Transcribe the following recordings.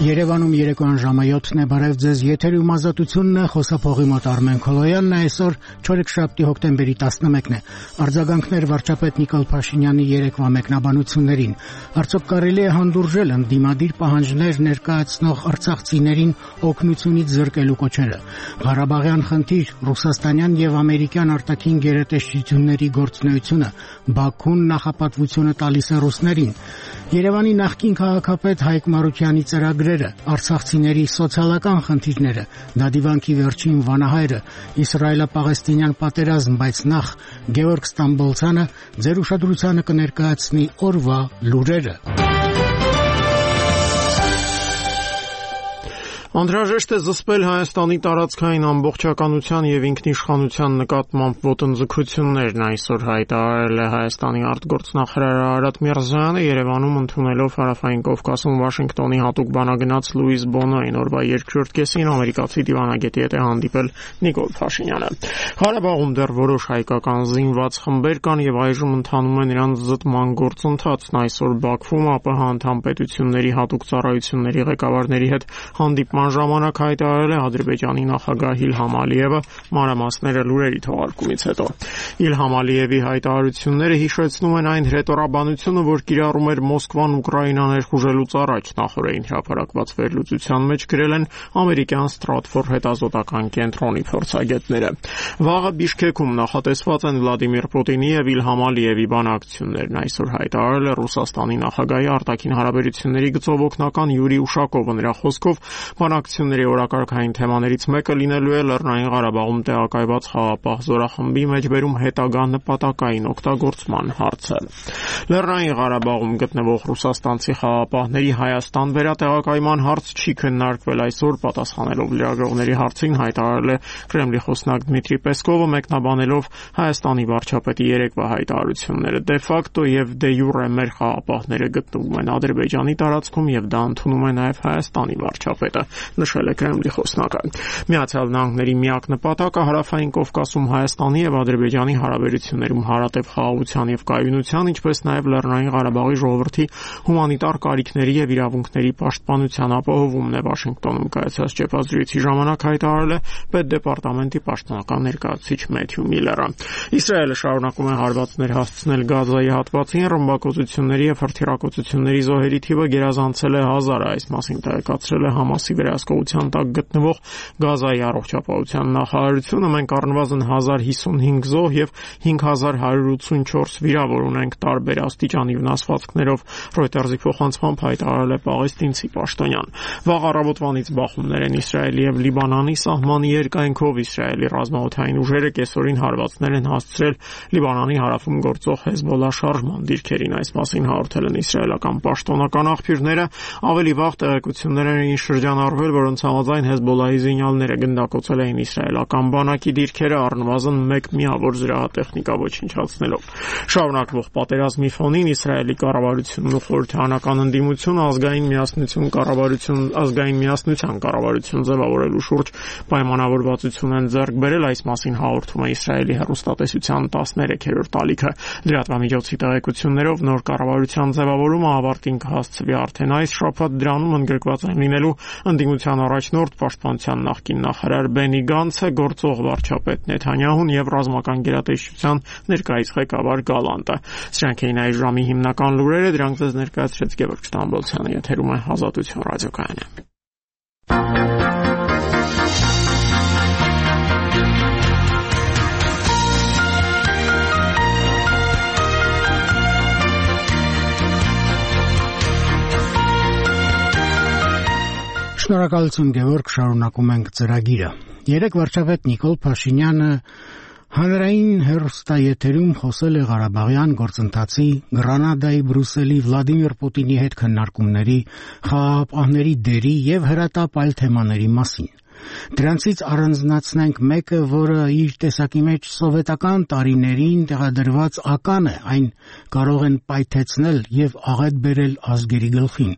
Երևանում երեկոյան ժամը 7-ն է, բարև ձեզ, եթերում ազատությունն է, խոսափողի մոտ Արմեն Քոլոյանն է, այսօր չորեքշաբթի հոկտեմբերի 11-ն է, արձագանքներ վարչապետ Նիկոլ Փաշինյանի երեկվա մեկնաբանություններին, արդյոք կարելի է հանդուրժել ընդդիմադիր պահանջներ ներկայացնող արցախցիներին օգնությունից զրկելու կոչերը, Ղարաբաղյան խնդիր, ռուսաստանյան եւ ամերիկյան արտաքին գերատեսչությունների գործունեությունը, Բաքուն նախապատվությունը տալիս է ռուսներին, Երևանի նախկին քաղաքապետ Հայկ Մարուկյանի ծրագրերը, արցախցիների սոցիալական խնդիրները, Դադիվանքի վերջին վանահայրը, Իսրայելա-Պաղեստինյան պատերազմ, բայց նախ Գևորգ Ստամբոլցյանը ձեր ուշադրությանը կներկայացնի օրվա լուրերը։ Անհրաժեշտ է զսպել Հայաստանի տարածքային ամբողջականության եւ ինքնիշխանության նկատմամբ ոտնձգություններն այսօր հայտարարել է Հայաստանի արտգործնախարար Արարատ Միրզոյանը Երևանում ընդունելով Հարավային Կովկասում Վաշինգտոնի հատուկ բանագնաց Լուիս Բոնոին օրվա երկրորդ կեսին ամերիկացի դիվանագետի հետ է հանդիպել Նիկոլ Փաշինյանը։ Ղարաբաղում դեռ որոշ հայկական զինված խմբեր կան եւ այժմ ընթանում է նրանց զտման գործընթացն այսօր Բաքվում ԱՊՀ անդամ պետությունների հատուկ ծառայությունների ղեկավարների հետ հանդիպման ժամանակ հայտարարել է Ադրբեջանի նախագահ Իլհամ Ալիևը մանրամասները լուրերի թողարկումից հետո։ Իլհամ Ալիևի հայտարարությունները հիշեցնում են այն հրետորաբանությունը, որ կիրառում էր Մոսկվան Ուկրաինան ներխուժելուց առաջ նախորդին հրապարակված վերլուծության մեջ գրել են ամերիկյան Stratfor հետազոտական կենտրոնի փորձագետները։ Վաղը Բիշքեքում նախատեսված են Վլադիմիր Պուտինի եւ Իլհամ Ալիևի բանակցություններն այսօր հայտարարել է Ռուսաստանի նախագահի արտաքին հարաբերությունների գծով օգնական Յուրի Ուշակովը նրա խոսքով Բանակցությունների օրակարգային թեմաներից մեկը լինելու է Լեռնային Ղարաբաղում տեղակայված խաղաղապահ զորախմբի մեջբերում հետագա նպատակային օգտագործման հարցը։ Լեռնային Ղարաբաղում գտնվող ռուսաստանցի խաղաղապահների Հայաստան վերատեղակայման հարց չի քննարկվել այսօր, պատասխանելով լրագրողների հարցին հայտարարել է Կրեմլի խոսնակ Դմիտրի Պեսկովը մեկնաբանելով Հայաստանի վարչապետի երեկվա հայտարարությունները դե ֆակտո եւ դե յուրե մեր խաղաղապահները գտնվում են Ադրբեջանի տարածքում եւ դա ընդունում է նաեւ Հայաստանի վարչապետը, նշել է Կրեմլի խոսնակը։ Միացյալ Նահանգների միակ նպատակը Հարավային Կովկասում Հայաստանի եւ Ադրբեջանի հարաբերություններում հարատև խաղաղության եւ կայունության, ինչպես նաեւ Լեռնային Ղարաբաղի ժողովրդի հումանիտար կարիքների եւ իրավունքների պաշտպանության ապահովումն է Վաշինգտոնում կայացած ճեպազրույցի ժամանակ հայտարարել է Պետդեպարտամենտի պաշտոնական ներկայացուցիչ Մեթյու Միլլերը։ Իսրայելը շարունակում է հարվածներ հասցնել Գազայի հատվածին, ռմբակոծությունների եւ հրթիռակոծությունների զոհերի թիվը գերազանցել է 1000-ը, այս մասին տեղեկացրել է Համասի վերահսկողության տակ գտնվող Գազայի առողջապահության նախարարությունը։ Մենք առնվազն 1055 զոհ եւ 5184 վիրավոր ունենք տարբեր աստիճանի վնասվածքներով, Reuters-ի փոխանցմամբ հայտարարել է պաղեստինցի պաշտոնյան։ Վաղ առավոտվանից բախումներ են Իսրայելի եւ Լիբանանի սահմանի երկայնքով Իսրայելի ռազմաօդային ուժերը կեսօրին հարվածներ են հասցրել Լիբանանի հարավում գործող Հեզբոլլա շարժման դիրքերին, այս մասին հաղորդել են իսրայելական պաշտոնական աղբյուրները, ավելի վաղ տեղեկություններ են շրջանառվել, որոնց համաձայն Հեզբոլլայի զինյալները գնդակոծել էին իսրայելական բանակի դիրքերը առնվազն 1 միավոր զրահատեխնիկա ոչնչացնելով։ Շարունակվող պատերազմի ֆոնին Իսրայելի կառավարությունն ու խորհրդարանական ընդդիմությունը ազգային միասնության կառավարություն ձևավորելու շուրջ պայմանավորվածություն են ձեռք բերել, այս մասին հաղորդում է Իսրայելի հեռուստատեսության 13-րդ ալիքը։ Լրատվամիջոցի տեղեկություններով նոր կառավարության ձևավորումը ավարտին կհասցվի արդեն այս շաբաթ, դրանում ընդգրկված են լինելու ընդդիմության առաջնորդ պաշտպանության նախկին նախարար Բենի Գանցը, գործող վարչապետ Նեթանյահուն եւ ռազմական գերատեսչության ներկայիս ղեկավար Գալանտը։ Սրանք էին այս ժամի հիմնական լուրերը, դրանք ձեզ ներկայացրեց Գևորգ Ստամբոլցյանը, եթերում է Ազատություն ռադիոկայանը։ Շնորհակալություն Գևորգ, շարունակում ենք ծրագիրը։ Երեկ վարչապետ Նիկոլ Փաշինյանը հանրային հեռուստաեթերում խոսել է Ղարաբաղյան գործընթացի, Գրանադայի, Բրյուսելի, Վլադիմիր Պուտինի հետ քննարկումների, խաղաղապահների դերի եւ հրատապ այլ թեմաների մասին։ Դրանցից առանձնացնենք մեկը, որը իր տեսակի մեջ սովետական տարիներին տեղադրված ական է, այն կարող են պայթեցնել եւ աղետ բերել ազգերի գլխին,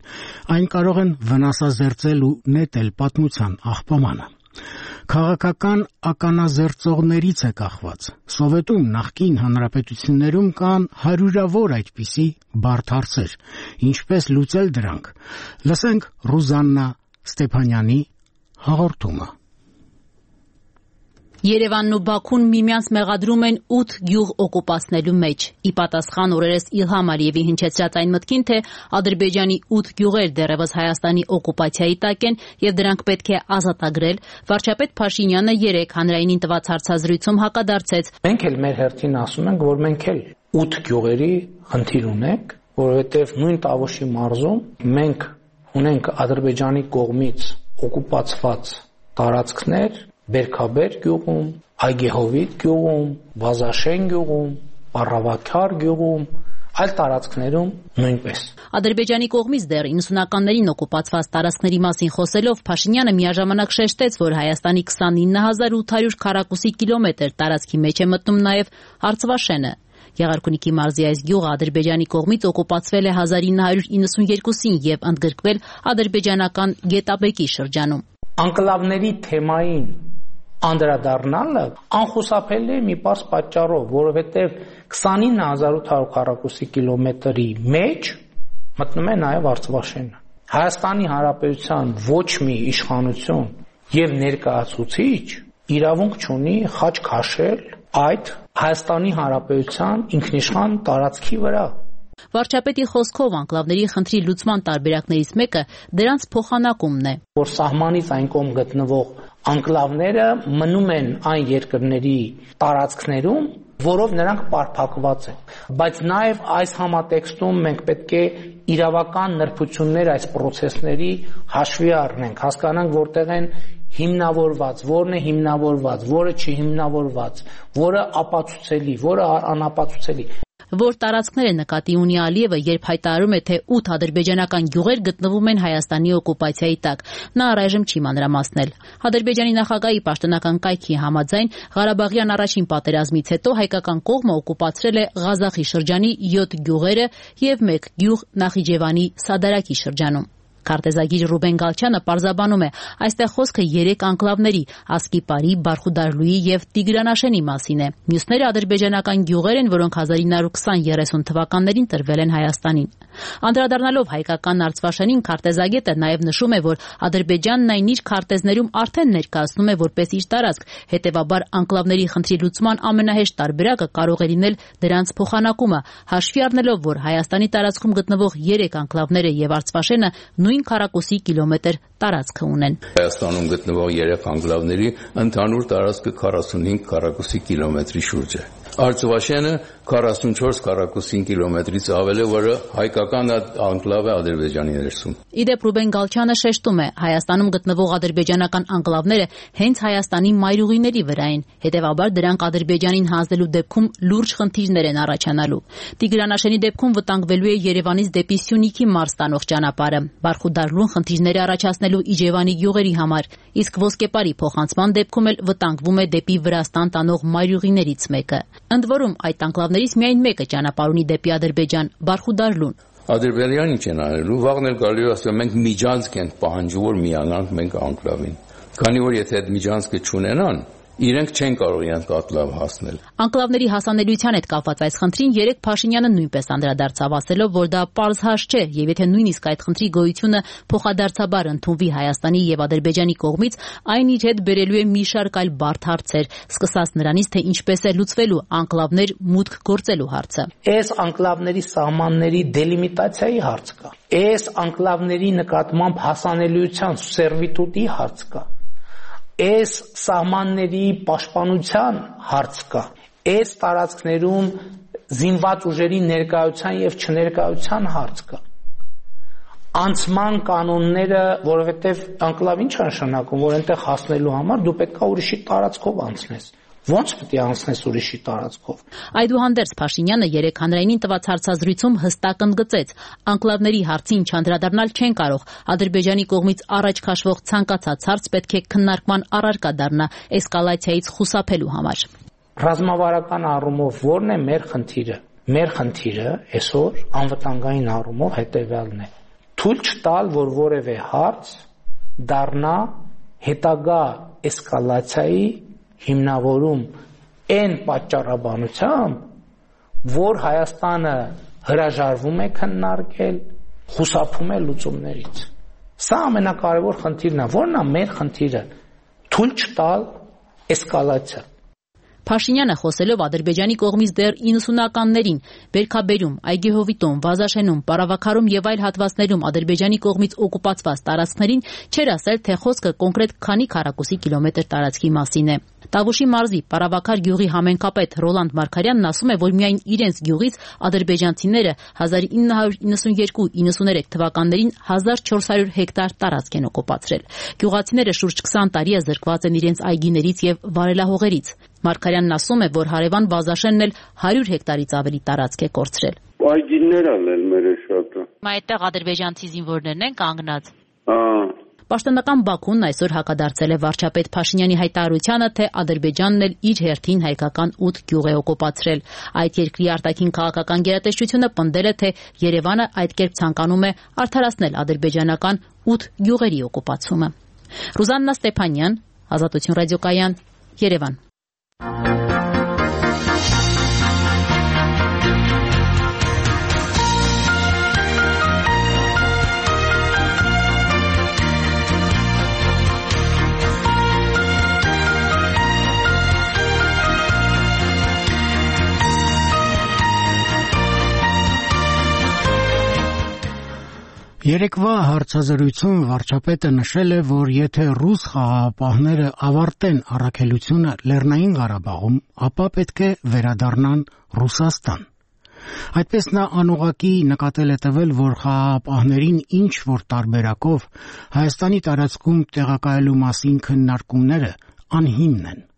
այն կարող են վնասազերծել ու նետել պատմության աղբամանը։ Քաղաքական ականազերծողներից է կախված։ Սովետում նախկին հանրապետություններում կան հարյուրավոր այդպիսի բարդ հարցեր։ Ինչպես լուծել դրանք։ Լսենք Ռուզաննա Ստեփանյանի հաղորդումը։ Երևանն ու Բաքուն միմյանց մեղադրում են 8 գյուղ օկուպացնելու մեջ։ Ի պատասխան օրերս Իլհամ Ալիևի հնչեցրած այն մտքին, թե Ադրբեջանի 8 գյուղեր դեռևս Հայաստանի օկուպացիայի տակ են եւ դրանք պետք է ազատագրել, վարչապետ Փաշինյանը երեկ հանրայինին տված հարցազրույցում հակադարձեց. Մենք էլ մեր հերթին ասում ենք, որ մենք էլ 8 գյուղերի խնդիր ունենք, որովհետեւ նույն Տավուշի մարզում մենք ունենք Ադրբեջանի կողմից օկուպացված տարածքներ Բերքաբեր գյուղում, Այգեհովիտ գյուղում, Վազաշեն գյուղում, Պառավաքար գյուղում, այլ տարածքներում նույնպես։ Ադրբեջանի կողմից դեռ 90-ականներին օկուպացված տարածքների մասին խոսելով Փաշինյանը միաժամանակ շեշտեց, որ Հայաստանի 29800 քառակուսի կիլոմետր տարածքի մեջ է մտնում նաև Արցվաշենը։ Եղարքունիքի մարզի այս գյուղը Ադրբեջանի կողմից օկուպացվել է 1992-ին եւ ընդգրկվել ադրբեջանական Գետաբեկի շրջանում։ Անկլավների թեմային անդրադառնալը անխուսափելի է մի պարզ պատճառով, որովհետև 29800 քառակուսի կիլոմետրի մեջ մտնում է նաև Արցվաշենը։ Հայաստանի Հանրապետության ոչ մի իշխանություն եւ ներկայացուցիչ իրավունք չունի խաչ քաշել այդ Հայաստանի Հանրապետության ինքնիշխան տարածքի վրա։ Վարչապետի խոսքով անկլավների խնդրի լուծման տարբերակներից մեկը դրանց փոխանակումն է։ Որ սահմանից այն կողմ գտնվող անկլավները մնում են այն երկրների տարածքներում, որով նրանք պարփակված են։ Բայց նաև այս համատեքստում մենք պետք է իրավական նրբություններ այս process-ների հաշվի առնենք, հասկանանք որտեղ են հիմնավորված, որն է հիմնավորված, որը չի հիմնավորված, որը ապացուցելի, որը անապացուցելի։ Որ տարածքները նկատի ունի Ալիևը, երբ հայտարարում է, թե 8 ադրբեջանական գյուղեր գտնվում են Հայաստանի օկուպացիայի տակ, նա առայժմ չի մանրամասնել։ Ադրբեջանի նախագահի պաշտոնական կայքի համաձայն Ղարաբաղյան առաջին պատերազմից հետո հայկական կողմը օկուպացրել է Ղազախի շրջանի 7 գյուղերը եւ 1 գյուղ Նախիջևանի Սադարակի շրջանում։ Քարտեզագիր Ռուբեն Գալչյանը պարզաբանում է, այստեղ խոսքը 3 անկլավների՝ Ասկիպարի, Բարխուդարլուի եւ Տիգրանաշենի մասին է։ Մյուսները ադրբեջանական գյուղեր են, որոնք 1920-30 թվականներին տրվել են Հայաստանին։ Անդրադառնալով հայկական Արցվաշենին, քարտեզագետը նաեւ նշում է, որ Ադրբեջանն այն իր քարտեզներում արդեն ներկայացնում է որպես իր տարածք, հետեւաբար անկլավների խնդրի լուծման ամենահեշտ տարբերակը կարող է լինել դրանց փոխանակումը, հաշվի առնելով, որ Հայաստանի տարածքում գտնվող 3 անկլավները եւ Արցվաշենը նույն քառակուսի կիլոմետր տարածքը ունեն։ Հայաստանում գտնվող 3 անկլավների ընդհանուր տարածքը 45 քառակուսի կիլոմետրի շուրջ է։ Արցվաշենը 44 քառակուսի կիլոմետրից ավել է, որը հայկական անկլավ է Ադրբեջանի ներսում։ Իդեպ Ռուբեն Գալչյանը շեշտում է, Հայաստանում գտնվող ադրբեջանական անկլավները հենց Հայաստանի մայրուղիների վրա են, հետևաբար դրանք Ադրբեջանին հանձնելու դեպքում լուրջ խնդիրներ են առաջանալու։ Տիգրանաշենի դեպքում վտանգվելու է Երևանից դեպի Սյունիքի մարզ տանող ճանապարհը, Բարխուդարլուն խնդիրներ է առաջացնելու Իջևանի գյուղերի համար, իսկ Ոսկեպարի փոխանցման դեպքում էլ վտանգվում է դեպի Վրաստան տանող մայրուղիներից մեկը։ Ընդ որում այդ անկլավներից միայն մեկը ճանապարհ ունի դեպի Ադրբեջան՝ Բարխուդարլուն։ Ադրբեջանը ինչ են արելու, վաղն էլ գալու ասում մենք միջանցք ենք պահանջում, որ միանանք մենք անկլավին։ Քանի որ եթե այդ միջանցքը չունենան, իրենք չեն կարող իրենց կատլավ հասնել։ Անկլավների հասանելիության հետ կապված այս խնդրին երեք Փաշինյանը նույնպես անդրադարձավ, ասելով, որ դա պարզ հաշ չէ, եւ եթե նույնիսկ այդ խնդրի գոյությունը փոխադարձաբար ընդունվի Հայաստանի եւ Ադրբեջանի կողմից, այն իր հետ բերելու է մի շարք այլ բարդ հարցեր, սկսած նրանից, թե ինչպես է լուծվելու անկլավներ մուտք գործելու հարցը։ Այս անկլավների սահմանների դելիմիտացիայի հարց կա։ Այս անկլավների նկատմամբ հասանելիության սերվիտուտի հարց կա։ Այս սահմանների պաշտպանության հարց կա։ Այս տարածքներում զինված ուժերի ներկայության եւ չներկայության հարց կա։ Անցման կանոնները, որովհետեւ անկլավ ինչ է նշանակում, որ այնտեղ հասնելու համար դու պետքա ուրիշի տարածքով անցնես։ Ոնց պետք է անցնես ուրիշի տարածքով։ Այդուհանդերձ Փաշինյանը երեք հանրայինին տված հարցազրույցում հստակ ընդգծեց, անկլավների հարցին չանդրադառնալ չեն կարող։ Ադրբեջանի կողմից առաջ քաշվող ցանկացած հարց պետք է քննարկման առարկա դառնա էսկալացիայից խուսափելու համար։ Ռազմավարական առումով ո՞րն է մեր խնդիրը։ Մեր խնդիրը այսօր անվտանգային առումով հետևյալն է. թույլ չտալ, որ որևէ հարց դառնա հետագա էսկալացիայի հիմնավորում այն պատճառաբանությամբ, որ Հայաստանը հրաժարվում է քննարկել, խուսափում է լուծումներից։ Սա ամենակարևոր խնդիրն է, որն է մեր խնդիրը՝ թույլ չտալ էսկալացիա։ Փաշինյանը խոսելով Ադրբեջանի կողմից դեռ 90-ականներին Բերքաբերում, Այգեհովիտում, Վազաշենում, Պարավաքարում եւ այլ հատվածներում Ադրբեջանի կողմից օկուպացված տարածքներին չէր ասել, թե խոսքը կոնկրետ քանի քառակուսի կիլոմետր տարածքի մասին է։ Տավուշի մարզի Պարավաքար գյուղի համենքապետ Ռոլանդ Մարգարյանն ասում է, որ միայն իրենց գյուղից ադրբեջանցիները 1992-93 թվականներին 1400 հեկտար տարածք են օկուպացրել։ Գյուղացիները շուրջ 20 տարի է զրկված են իրենց այգիներից եւ վարելահողերից։ Մարգարյանն ասում է, որ հարևան Վազաշենն էլ 100 հեկտարից ավելի տարածք է կորցրել։ Այգիներն էլ մեր շատը։ Այդտեղ ադրբեջանցի զինվորներն են կանգնած։ Պաշտոնական Բաքուն այսօր հակադարձել է վարչապետ Փաշինյանի հայտարարությանը, թե Ադրբեջանն էլ իր հերթին հայկական 8 գյուղ է օկուպացրել։ Այդ երկրի արտաքին քաղաքական գերատեսչությունը պնդել է, թե Երևանը այդ կերպ ցանկանում է արդարացնել ադրբեջանական 8 գյուղերի օկուպացումը։ Ռուզաննա Ստեփանյան, Ազատություն ռադիոկայան, Երևան։ Երեկվա հարցազրույցում վարչապետը նշել է, որ եթե ռուս խաղաղապահները ավարտեն առաքելությունը Լեռնային Ղարաբաղում, ապա պետք է վերադառնան Ռուսաստան։ Այդպես նա անուղղակի նկատել է տվել, որ խաղաղապահներին ինչ որ տարբերակով Հայաստանի տարածքում տեղակայելու մասին քննարկումները անհիմն են։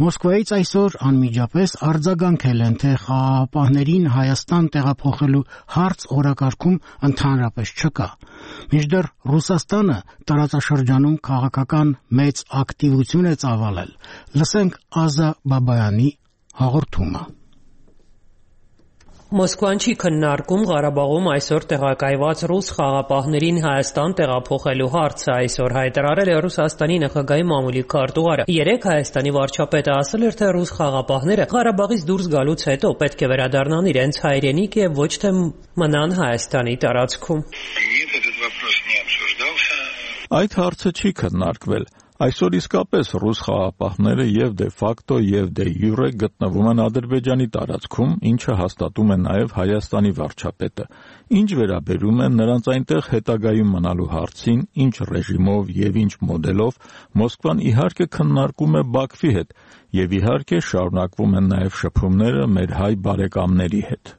Մոսկվայից այսօր անմիջապես արձագանքել են, թե խաղաղապահներին Հայաստան տեղափոխելու հարց օրակարգում ընդհանրապես չկա։ Մինչդեռ Ռուսաստանը տարածաշրջանում քաղաքական մեծ ակտիվություն է ծավալել։ Լսենք Ազա Բաբայանի հաղորդումը։ Մոսկվան չի քննարկում Ղարաբաղում այսօր տեղակայված ռուս խաղաղապահներին Հայաստան տեղափոխելու հարցը, այսօր հայտարարել է Ռուսաստանի նախագահի մամուլի քարտուղարը։ Երեկ Հայաստանի վարչապետը ասել էր, թե ռուս խաղաղապահները Ղարաբաղից դուրս գալուց հետո պետք է վերադառնան իրենց հայրենիք եւ ոչ թե մնան Հայաստանի տարածքում։ Այդ հարցը չի քննարկվել։ Այսօր իսկապես ռուս խաղաղապահները եւ դե ֆակտո եւ դե յուրե գտնվում են Ադրբեջանի տարածքում, ինչը հաստատում է նաեւ Հայաստանի վարչապետը։ Ինչ վերաբերում է նրանց այնտեղ հետագայում մնալու հարցին, ինչ ռեժիմով եւ ինչ մոդելով, Մոսկվան իհարկե քննարկում է Բաքվի հետ եւ իհարկե շարունակվում են նաեւ շփումները մեր հայ բարեկամների հետ։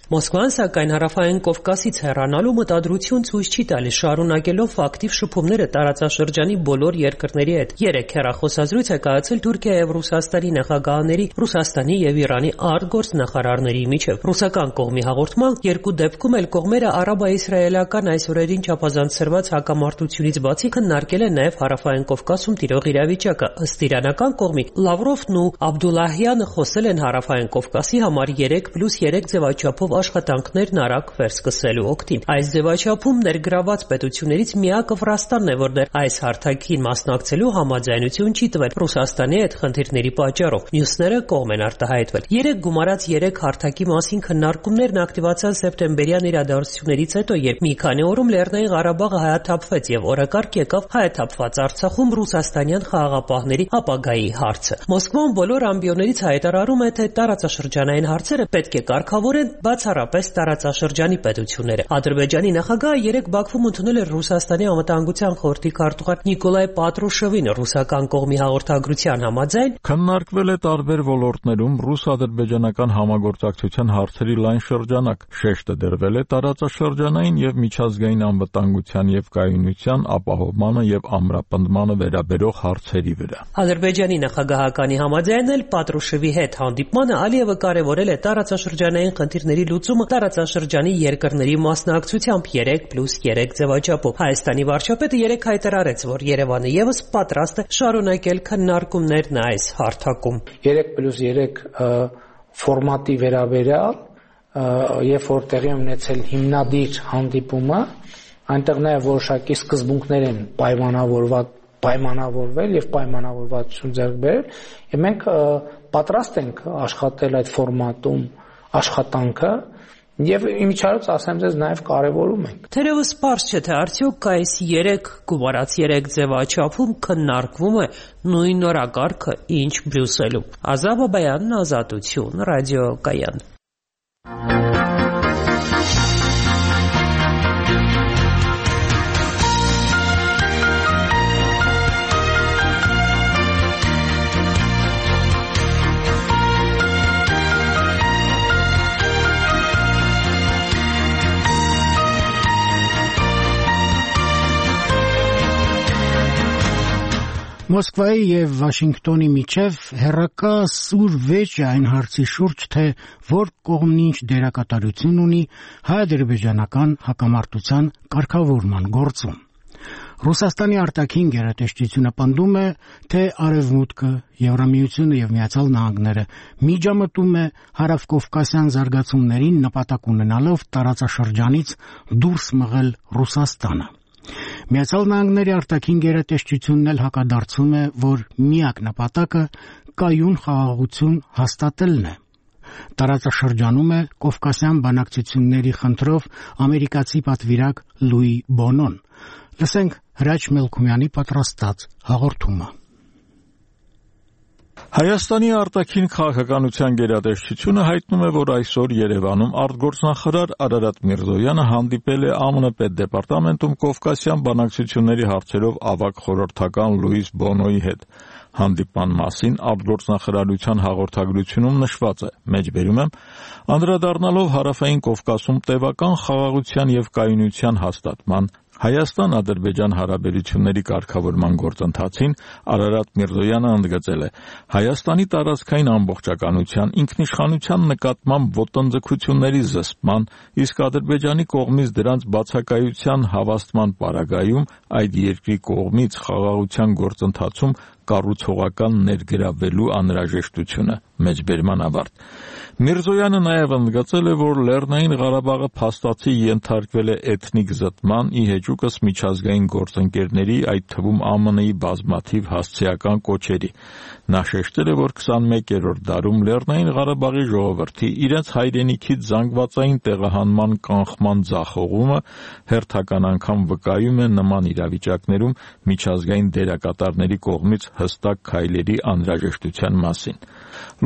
Մոսկվան, սակայն, Հարավային Կովկասից հեռանալու մտադրություն ցույց չի տալիս, շարունակելով ակտիվ շփումները տարածաշրջանի բոլոր երկրների հետ։ Երեկ հեռախոսազրույց է կայացել Թուրքիա եւ Ռուսաստանի նախագահների, Ռուսաստանի եւ Իրանի արտգործնախարարների միջև։ Ռուսական կողմի հաղորդման երկու դեպքում էլ կողմերը արաբա-իսրայելական այս օրերին չափազանցրված հակամարտությունից բացի քննարկել են նաեւ Հարավային Կովկասում տիրող իրավիճակը։ Ըստ իրանական կողմի, Լավրովն ու Աբդուլլահյանը խոսել են Հարավային Կովկասի համար 3+3 ձևաչափով աշխատանքներն արագ վերսկսելու օգտին։ Այս ձևաչափում ներգրաված պետություններից միակը Վրաստանն է, որ դեռ այս հարթակին մասնակցելու համաձայնություն չի տվել Ռուսաստանի հետ խնդիրների պատճառով։ Մյուսները կողմ են արտահայտվել։ Երեք գումարած 3 հարթակի մասին քննարկումներն ակտիվացան սեպտեմբերյան իրադարձություններից հետո, երբ մի քանի օրում Լեռնային Ղարաբաղը հայաթափվեց եւ օրակարգ եկավ հայաթափված Արցախում ռուսաստանյան խաղաղապահների ապագայի հարցը։ Մոսկվան բոլոր ամբիոններից հայտարարում է, թե տարածաշրջանային հարցերը պետք է կարգավորեն բացառապես տարածաշրջանի պետությունները։ Ադրբեջանի նախագահը երեկ Բաքվում ընդունել էր Ռուսաստանի անվտանգության խորհրդի քարտուղար Նիկոլայ Պատրուշևին։ Ռուսական կողմի հաղորդագրության համաձայն քննարկվել է տարբեր ոլորտներում ռուս-ադրբեջանական համագործակցության հարցերի լայն շրջանակ։ Շեշտը դրվել է տարածաշրջանային եւ միջազգային անվտանգության եւ կայունության ապահովմանը եւ ամրապնդմանը վերաբերող հարցերի վրա։ Ադրբեջանի նախագահականի համաձայն էլ Պատրուշևի հետ հանդիպմանը Ալիևը կարևորել է տարածաշրջանային խնդիրների լուծումը տարածաշրջանի երկրների մասնակցությամբ 3+3 ձևաչափով։ Հայաստանի վարչապետը երեկ հայտարարեց, որ Երևանը եւս պատրաստ է շարունակել քննարկումներն այս հարթակում։ 3+3 ֆորմատի վերաբերյալ երբ որ տեղի ունեցել հիմնադիր հանդիպումը, այնտեղ նաև որոշակի սկզբունքներ են պայմանավորվել եւ պայմանավորվածություն ձեռք բերել, եւ մենք պատրաստ ենք աշխատել այդ ֆորմատում աշխատանքը եւ իմիջիայլոց ասեմ ձեզ նաեւ կարեւորում ենք։ Թերևս պարզ չէ, թե արդյոք այս 3 գումարած 3 ձևաչափում քննարկվում է նույն օրակարգը, ինչ Բրյուսելում։ Ազատ Բաբայանն, Ազատություն, ռադիոկայան։ Մոսկվայի եւ Վաշինգտոնի միջև հերրակա սուր վեճ է այն հարցի շուրջ, թե որ կողմն ինչ դերակատարություն ունի հայ-ադրբեջանական հակամարտության կարգավորման գործում։ Ռուսաստանի արտաքին գերատեսչությունը պնդում է, թե Արևմուտքը, Եվրամիությունը եւ Միացյալ Նահանգները միջամտում է հարավկովկասյան զարգացումներին նպատակ ունենալով տարածաշրջանից դուրս մղել Ռուսաստանը։ Միացյալ Նահանգների արտաքին գերատեսչությունն էլ հակադարձում է, որ միակ նպատակը կայուն խաղաղություն հաստատելն է։ Տարածաշրջանում է կովկասյան բանակցությունների խնդրով ամերիկացի պատվիրակ Լուի Բոնոն։ Լսենք Հրաչ Մելքումյանի պատրաստած հաղորդումը։ Հայաստանի արտաքին քաղաքականության գերատեսչությունը հայտնում է, որ այսօր Երևանում արտգործնախարար Արարատ Միրզոյանը հանդիպել է ԱՄՆ պետդեպարտամենտում Կովկասյան բանակցությունների հարցերով ավագ խորհրդական Լուիս Բոնոյի հետ։ Հանդիպման մասին արտգործնախարարության հաղորդագրությունում նշված է. մեջբերում եմ, անդրադառնալով Հարավային Կովկասում տևական խաղաղության եւ կայունության հաստատման Հայաստան-Ադրբեջան հարաբերությունների կարգավորման գործընթացին Արարատ Միրզոյանը ընդգծել է. Հայաստանի տարածքային ամբողջականության, ինքնիշխանության նկատմամբ ոտնձգությունների զսպման, իսկ Ադրբեջանի կողմից դրանց բացակայության հավաստման պարագայում այդ երկրի կողմից խաղաղության գործընթացում կառուցողական ներգրավելու անհրաժեշտությունը։ Մեջբերման ավարտ։ Միրզոյանը նաև ընդգծել է, որ Լեռնային Ղարաբաղը փաստացի ենթարկվել է էթնիկ զտման, ի հեճուկս միջազգային գործընկերների, այդ թվում ԱՄՆ-ի բազմաթիվ հասցեական կոչերի։ Նա շեշտել է, որ 21-րդ դարում Լեռնային Ղարաբաղի ժողովրդի իրենց հայրենիքից զանգվածային տեղահանման կանխման ձախողումը հերթական անգամ վկայում է նման իրավիճակներում միջազգային դերակատարների կողմից հստակ քայլերի անհրաժեշտության մասին։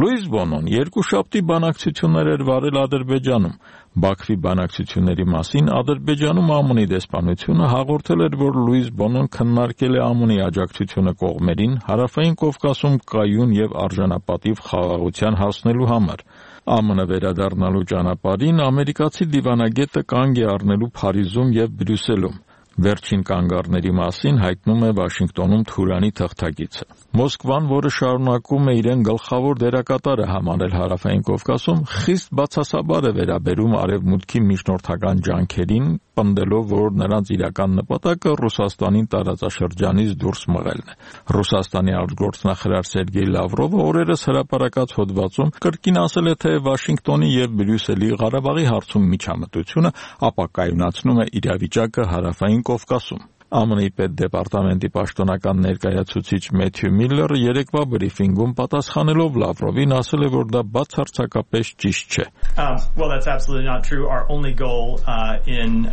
Լուիս Բոնոն երկուշաբթի բանակցություններ էր վարել Ադրբեջանում։ Բաքվի բանակցությունների մասին Ադրբեջանում ԱՄՆ-ի դեսպանությունը հաղորդել էր, որ Լուիս Բոնոն քննարկել է ԱՄՆ-ի աջակցությունը կողմերին Հարավային Կովկասում կայուն եւ արժանապատիվ խաղաղության հասնելու համար։ ԱՄՆ վերադառնալու ճանապարհին ամերիկացի դիվանագետը կանգ է առնելու Փարիզում եւ Բրյուսելում։ Վերջին կանգառների մասին հայտնում է Վաշինգտոնում Թուրանի թղթակիցը։ Մոսկվան, որը շարունակում է իրեն գլխավոր դերակատարը համարել Հարավային Կովկասում, խիստ բացասաբար է վերաբերում Արևմուտքի միջնորդական ջանքերին, պնդելով, որ նրանց իրական նպատակը Ռուսաստանին տարածաշրջանից դուրս մղելն է։ Ռուսաստանի արտգործնախարար Սերգեյ Լավրովը օրերս հրապարակած հոդվածում կրկին ասել է, թե Վաշինգտոնի եւ Բրյուսելի Ղարաբաղի հարցում միջամտությունը ապակայունացնում է իրավիճակը Հարավային Կովկասում։ ԱՄՆ-ի պետդեպարտամենտի պաշտոնական ներկայացուցիչ Մեթյու Միլլերը երեկվա բրիֆինգում պատասխանելով Լավրովին ասել է, որ դա բացարձակապես ճիշտ չէ։ Well, that's absolutely not true. Our only goal in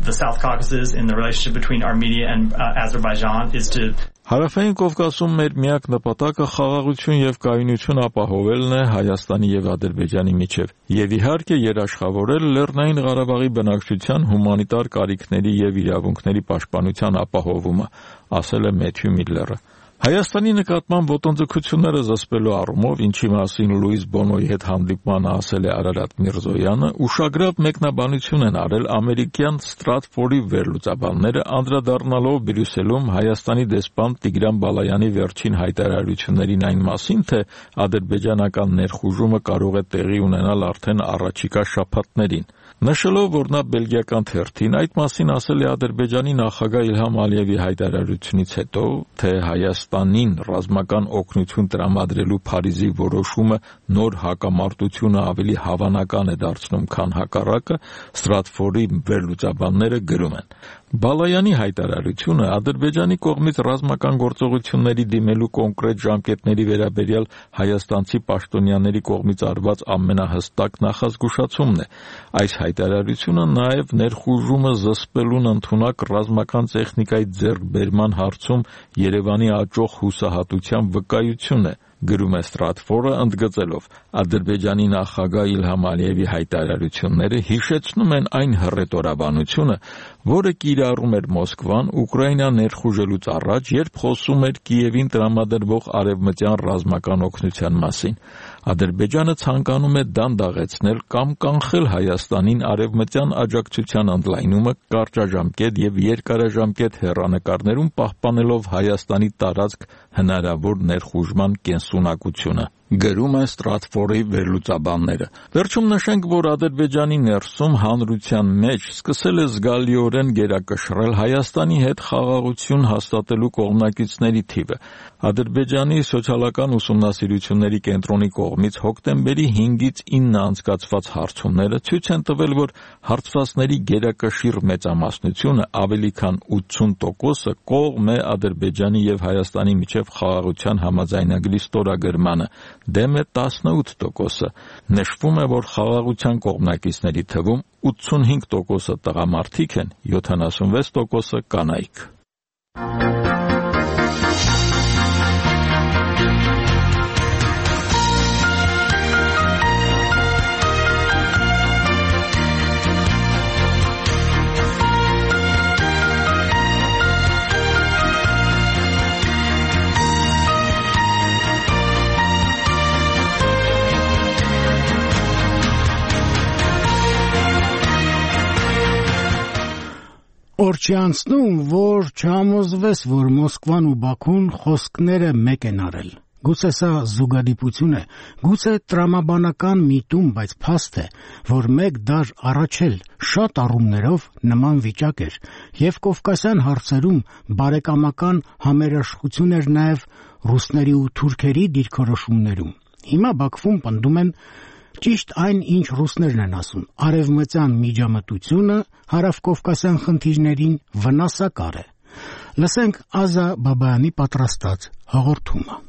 the South Caucasus, in the relationship between Armenia and Azerbaijan, is to Հարավային Կովկասում մեր միակ նպատակը խաղաղություն եւ կայունություն ապահովելն է Հայաստանի եւ Ադրբեջանի միջեւ եւ իհարկե երաշխավորել Լեռնային Ղարաբաղի բնակչության հումանիտար կարիքների եւ իրավունքների պաշտպանության ապահովումը, ասել է Մեթյու Միլլերը։ Հայաստանի նկատմամբ ոտնձգությունները զսպելու առումով, ինչի մասին Լուիս Բոնոյի հետ հանդիպմանը ասել է Արարատ Միրզոյանը, ուշագրավ մեկնաբանություն են արել ամերիկյան Ստրատֆորդի վերլուծաբանները, անդրադառնալով Բրյուսելում Հայաստանի դեսպան Տիգրան Բալայանի վերջին հայտարարություններին այն մասին, թե ադրբեջանական ներխուժումը կարող է տեղի ունենալ արդեն առաջիկա շաբաթներին։ Նշելով, որ նա բելգիական թերթին այդ մասին ասել է Ադրբեջանի նախագահ Իլհամ Ալիևի հայտարարությունից հետո, թե Հայաստան Հայաստանին ռազմական օգնություն տրամադրելու Փարիզի որոշումը նոր հակամարտությունը ավելի հավանական է դարձնում, քան հակառակը, Ստրատֆորի վերլուծաբանները գրում են. Բալայանի հայտարարությունը Ադրբեջանի կողմից ռազմական գործողությունների դիմելու կոնկրետ ժամկետների վերաբերյալ հայաստանցի պաշտոնյաների կողմից արված ամենահստակ նախազգուշացումն է։ Այս հայտարարությունը նաև ներխուժումը զսպելուն ընդունակ ռազմական տեխնիկայի ձեռքբերման հարցում Երևանի աճող հուսահատության վկայություն է, գրում է Ստրատֆորը, ընդգծելով. Ադրբեջանի նախագահ Իլհամ Ալիևի հայտարարությունները հիշեցնում են այն հռետորաբանությունը, որը կիրառում էր Մոսկվան Ուկրաինա ներխուժելուց առաջ, երբ խոսում էր Կիևին տրամադրվող արևմտյան ռազմական օգնության մասին։ Ադրբեջանը ցանկանում է դանդաղեցնել կամ կանխել Հայաստանին արևմտյան աջակցության ընդլայնումը կարճաժամկետ եւ երկարաժամկետ հեռանկարներում, պահպանելով Հայաստանի տարածք հնարավոր ներխուժման կենսունակությունը, գրում է Ստրատֆորի վերլուծաբանները։ Վերջում նշենք, որ Ադրբեջանի ներսում հանրության մեջ սկսել է զգալիորեն գերակշռել Հայաստանի հետ խաղաղություն հաստատելու կողմնակիցների թիվը։ Ադրբեջանի սոցիալական ուսումնասիրությունների կենտրոնի կողմից հոկտեմբերի 5-ից 9 անցկացված հարցումները ցույց են տվել, որ հարցվածների գերակշիռ մեծամասնությունը, ավելի քան 80%-ը, կողմ է Ադրբեջանի եւ Հայաստանի միջև խաղաղության համաձայնագրի ստորագրմանը, դեմ է 18%-ը։ Նշվում է, որ խաղաղության կողմնակիցների թվում 85%-ը տղամարդիկ են, 76%-ը կանայք։ Օր չի անցնում, որ չհամոզվես, որ Մոսկվան ու Բաքուն խոսքները մեկ են արել։ Գուցե սա զուգադիպություն է, գուցե տրամաբանական միտում, բայց փաստ է, որ մեկ դար առաջ էլ շատ առումներով նման վիճակ էր, եւ Կովկասյան հարցերում բարեկամական համերաշխություն էր նաեւ ռուսների ու թուրքերի դիրքորոշումներում։ Հիմա Բաքվում պնդում են ճիշտ այն, ինչ ռուսներն են ասում, արևմտյան միջամտությունը հարավկովկասյան խնդիրներին վնասակար է։ Լսենք Ազա Բաբայանի պատրաստած հաղորդումը։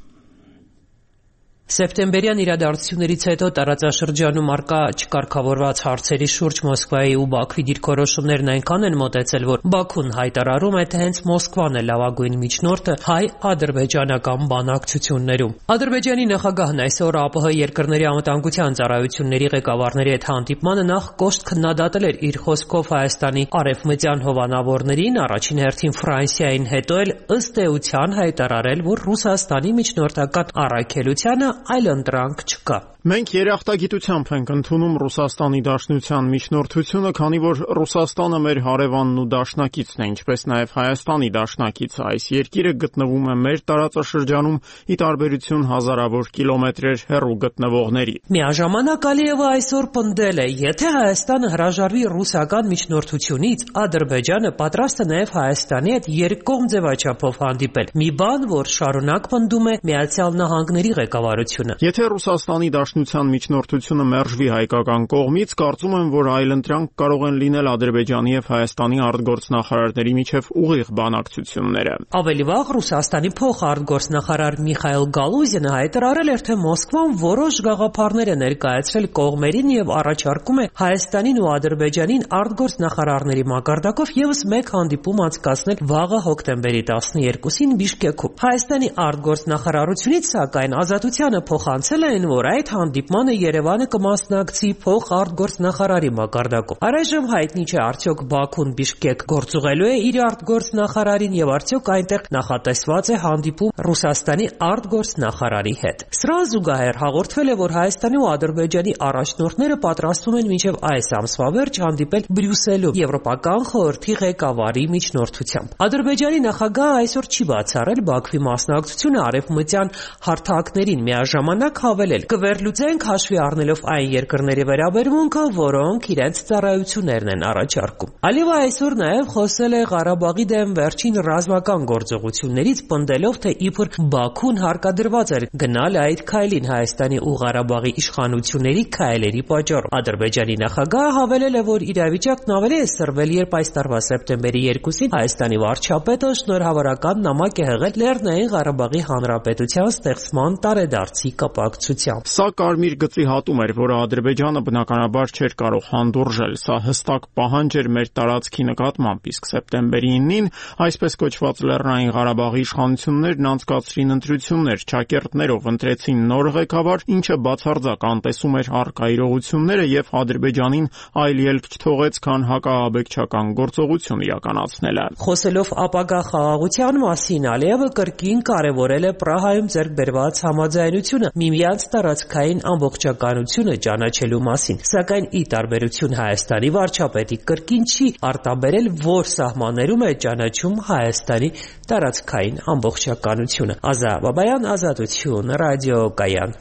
Սեպտեմբերյան իրադարձություններից հետո տարածաշրջանում առկա չկարգավորված հարցերի շուրջ Մոսկվայի ու Բաքվի դիրքորոշումներն այնքան են մոտեցել, որ Բաքուն հայտարարում է, թե հենց Մոսկվան է լավագույն միջնորդը հայ-ադրբեջանական բանակցություններում։ Ադրբեջանի նախագահն այսօր ԱՊՀ երկրների անվտանգության ծառայությունների ղեկավարների հետ հանդիպմանը նախ կոշտ քննադատել էր իր խոսքով Հայաստանի արևմտյան հովանավորներին, առաջին հերթին Ֆրանսիային, հետո էլ ըստ էության հայտարարել, որ Ռուսաստանի միջնորդական առաքելությանը այլընտրանք չկա։ Մենք երախտագիտությամբ ենք ընդունում Ռուսաստանի Դաշնության միջնորդությունը, քանի որ Ռուսաստանը մեր հարևանն ու դաշնակիցն է, ինչպես նաև Հայաստանի դաշնակիցը։ Այս երկիրը գտնվում է մեր տարածաշրջանում, ի տարբերություն հազարավոր կիլոմետրեր հեռու գտնվողների։ Միաժամանակ Ալիևը այսօր պնդել է, եթե Հայաստանը հրաժարվի ռուսական միջնորդությունից, Ադրբեջանը պատրաստ է նաև Հայաստանի հետ երկկողմ ձևաչափով հանդիպել։ Մի բան, որ շարունակ պնդում է Միացյալ Նահանգների ղեկավարությունը։ Եթե Ռուսաստանի Դաշնության միջնորդությունը մերժվի հայկական կողմից, կարծում եմ, որ այլընտրանք կարող են լինել Ադրբեջանի եւ Հայաստանի արտգործնախարարների միջև ուղիղ բանակցությունները։ Ավելի վաղ Ռուսաստանի փոխարտգործնախարար Միխայել Գալուզինը հայտարարել էր, թե Մոսկվան որոշ գաղափարներ է ներկայացրել կողմերին եւ առաջարկում է Հայաստանին ու Ադրբեջանին արտգործնախարարների մակարդակով եւս մեկ հանդիպում անցկացնել վաղը հոկտեմբերի 12-ին Բիշկեքում։ Հայաստանի արտգործնախարարությունից, սակայն, ազատությանը փոխանցել են, որ այդ հանդիպմանը Երևանը կմասնակցի փոխարտգործնախարարի մակարդակով։ Առայժմ հայտնի չէ, արդյոք Բաքուն Բիշկեք գործուղելու է իր արտգործնախարարին եւ արդյոք այնտեղ նախատեսված է հանդիպում Ռուսաստանի արտգործնախարարի հետ։ Սրան զուգահեռ հաղորդվել է, որ Հայաստանի ու Ադրբեջանի առաջնորդները պատրաստվում են մինչև այս ամսվա վերջ հանդիպել Բրյուսելում Եվրոպական խորհրդի ղեկավարի միջնորդությամբ։ Ադրբեջանի նախագահը այսօր չի բացառել Բաքվի մասնակցությունը արևմտյան հարթակներին, միաժամանակ հավելել. կվերլուծենք կգործենք հաշվի առնելով այն երկրների վերաբերմունքը, որոնք իրենց ծառայություններն են առաջարկում։ Ալիևը այսօր նաև խոսել է Ղարաբաղի դեմ վերջին ռազմական գործողություններից, պնդելով, թե իբր Բաքուն հարկադրված էր գնալ այդ քայլին Հայաստանի ու Ղարաբաղի իշխանությունների քայլերի պատճառով։ Ադրբեջանի նախագահը հավելել է, որ իրավիճակն ավելի է սրվել, երբ այս տարվա սեպտեմբերի 2-ին Հայաստանի վարչապետը շնորհավորական նամակ է հղել Լեռնային Ղարաբաղի Հանրապետության ստեղծման տարեդարձի կապակցությամբ։ Սա կարմիր գծի հատում էր, որը Ադրբեջանը բնականաբար չէր կարող հանդուրժել։ Սա հստակ պահանջ էր մեր տարածքի նկատմամբ, իսկ սեպտեմբերի 9-ին այսպես կոչված Լեռնային Ղարաբաղի իշխանություններն անցկացրին ընտրություններ, ճակերտներով ընտրեցին նոր ղեկավար, ինչը բացարձակ անտեսում էր առկա իրողությունները եւ Ադրբեջանին այլ ելք չթողեց, քան հակաաբեկչական գործողություն իրականացնելը։ Խոսելով ապագա խաղաղության մասին, Ալիևը կրկին կարևորել է Պրահայում ձեռք բերված համաձայնությունը միմյանց տարածքային ամբողջականությունը ճանաչելու մասին, սակայն ի տարբերություն Հայաստանի վարչապետի կրկին չի արտաբերել, որ սահմաններում է ճանաչում Հայաստանի տարածքային ամբողջականությունը։ Ազա Բաբայան, Ազատություն, ռադիոկայան։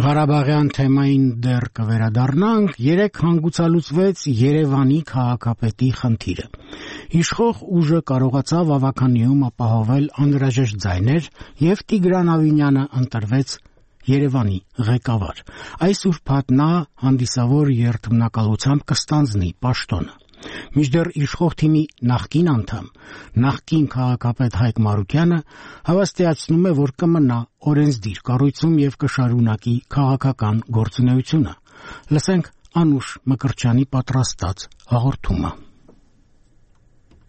Ղարաբաղյան թեմային դեռ կվերադառնանք, երեք հանգուցալուծվեց Երևանի քաղաքապետի խնդիրը։ Իշխող ուժը կարողացավ ավականիում ապահովել անհրաժեշտ ձայներ եւ Տիգրան Ավինյանը ընտրվեց Երևանի ղեկավար։ Այս ուրբաթ նա հանդիսավոր երթմնակալությամբ կստանձնի պաշտոնը։ Մինչդեռ իշխող թիմի նախկին անդամ, նախկին քաղաքապետ Հայկ Մարուկյանը հավաստիացնում է, որ կմնա օրենսդիր կառույցում եւ կշարունակի քաղաքական գործունեությունը։ Լսենք Անուշ Մկրտչյանի պատրաստած հաղորդումը։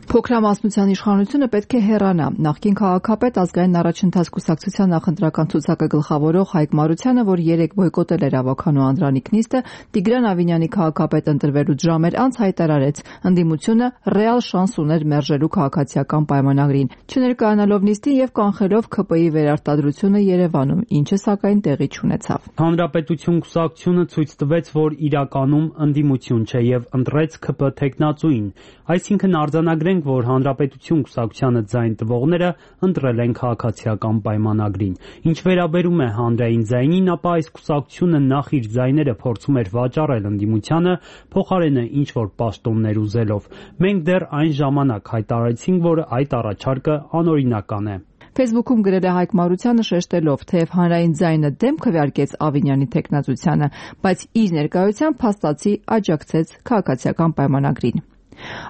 Փոքրամասնության իշխանությունը պետք է հեռանա։ Նախկին քաղաքապետ ազգային առաջընթաց կուսակցության նախընտրական ցուցակը գլխավորող Հայկ Մարությանը, որ 3 բոյկոտել էր ավականու Անդրանիկ նիստը, Տիգրան Ավինյանի քաղաքապետ ընտրվելուց ժամեր անց հայտարարեց, ընդդիմությունը ռեալ շանս ուներ մերժելու քաղաքացիական պայմանագրին, չներկայանալով նիստին եւ կանխելով ՔՊ-ի վերարտադրությունը Երևանում, ինչը սակայն տեղի չունեցավ։ Հանրապետություն կուսակցությունը ցույց տվեց, որ իրականում ընդդիմություն չէ եւ ընտրեց ՔՊ թեկնածուին, այսինքն արձանագրենք, որ Հանրապետություն կուսակցությանը ձայն տվողները ընտրել են քաղաքացիական պայմանագրին։ Ինչ վերաբերում է հանրային ձայնին, ապա այս կուսակցությունը նախ իր ձայները փորձում էր վաճառել ընդդիմությանը, փոխարենը ինչ-որ պաշտոններ ուզելով։ Մենք դեռ այն ժամանակ հայտարարեցինք, որ այդ առաջարկը անօրինական է։ Facebook-ում գրել է Հայկ Մարությանը շեշտելով, թեև հանրային ձայնը դեմ քվեարկեց Ավինյանի թեկնածությանը, բայց իր ներկայությամբ փաստացի աջակցեց քաղաքացիական պայմանագրին։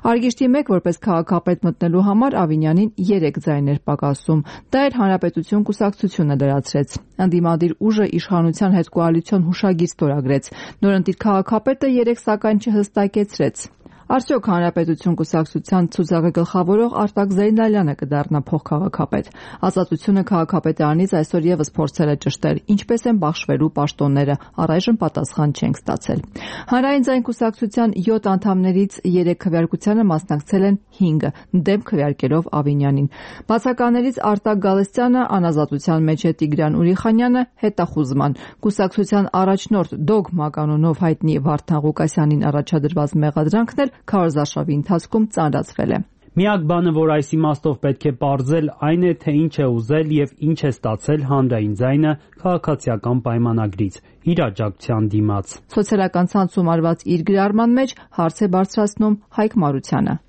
Արգիշտի 1 որպես քաղաքապետ մտնելու համար Ավինյանին 3 ձայներ պակասում։ Դա էր Հանրապետություն կուսակցությունը լրացրեց։ Ընդդիմադիր ուժը իշխանության հետ կոալիցիոն հուշագիր ստորագրեց։ Նորընտիր քաղաքապետը 3 սակայն չհստակեցրեց։ Արդյոք Հանրապետություն կուսակցության ցուցակը գլխավորող Արտակ Զեյնալյանը կդառնա փոխքաղաքապետ։ Ազատությունը քաղաքապետարանից այսօր եւս փորձել է ճշտել, ինչպես են բաշխվելու պաշտոնները, առայժմ պատասխան չենք ստացել։ Հանրային ձայն կուսակցության 7 անդամներից 3 քվեարկությանը մասնակցել են 5-ը, դեմ քվեարկելով Ավինյանին։ Բացականներից Արտակ Գալստյանը, անազատության մեջ է Տիգրան Ուրիխանյանը, հետախուզման։ Կուսակցության առաջնորդ Դոգմա կանոնով հայտնի Վարդան Ղուկասյանին առաջադրված մեղադրանքն էլ քարոզարշավի ընթացքում ծանրացվել է։ Միակ բանը, որ այս իմաստով պետք է պարզել, այն է, թե ինչ է ուզել եւ ինչ է ստացել հանրային ձայնը քաղաքացիական պայմանագրից իր աջակցության դիմաց։ Սոցիալական ցանցում արված իր գրառման մեջ հարց է բարձրացնում Հայկ Մարությանը։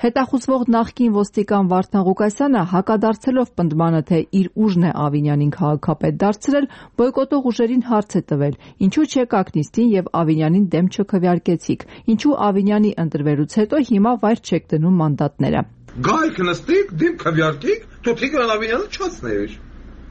Հետախուզվող նախկին ոստիկան Վարդան Ղուկասյանը հակադարձելով պնդմանը, թե իր ուժն է Ավինյանին քաղաքապետ դարձրել, բոյկոտող ուժերին հարց է տվել. ինչու չեկաք նիստին եւ Ավինյանին դեմ չքվեարկեցիք, ինչու Ավինյանի ընտրվելուց հետո հիմա վայր չեք դնում մանդատները։ Գայք նստիկ, դեմ քվեարկիկ, դու Տիգրան Ավինյանը չացնեիր։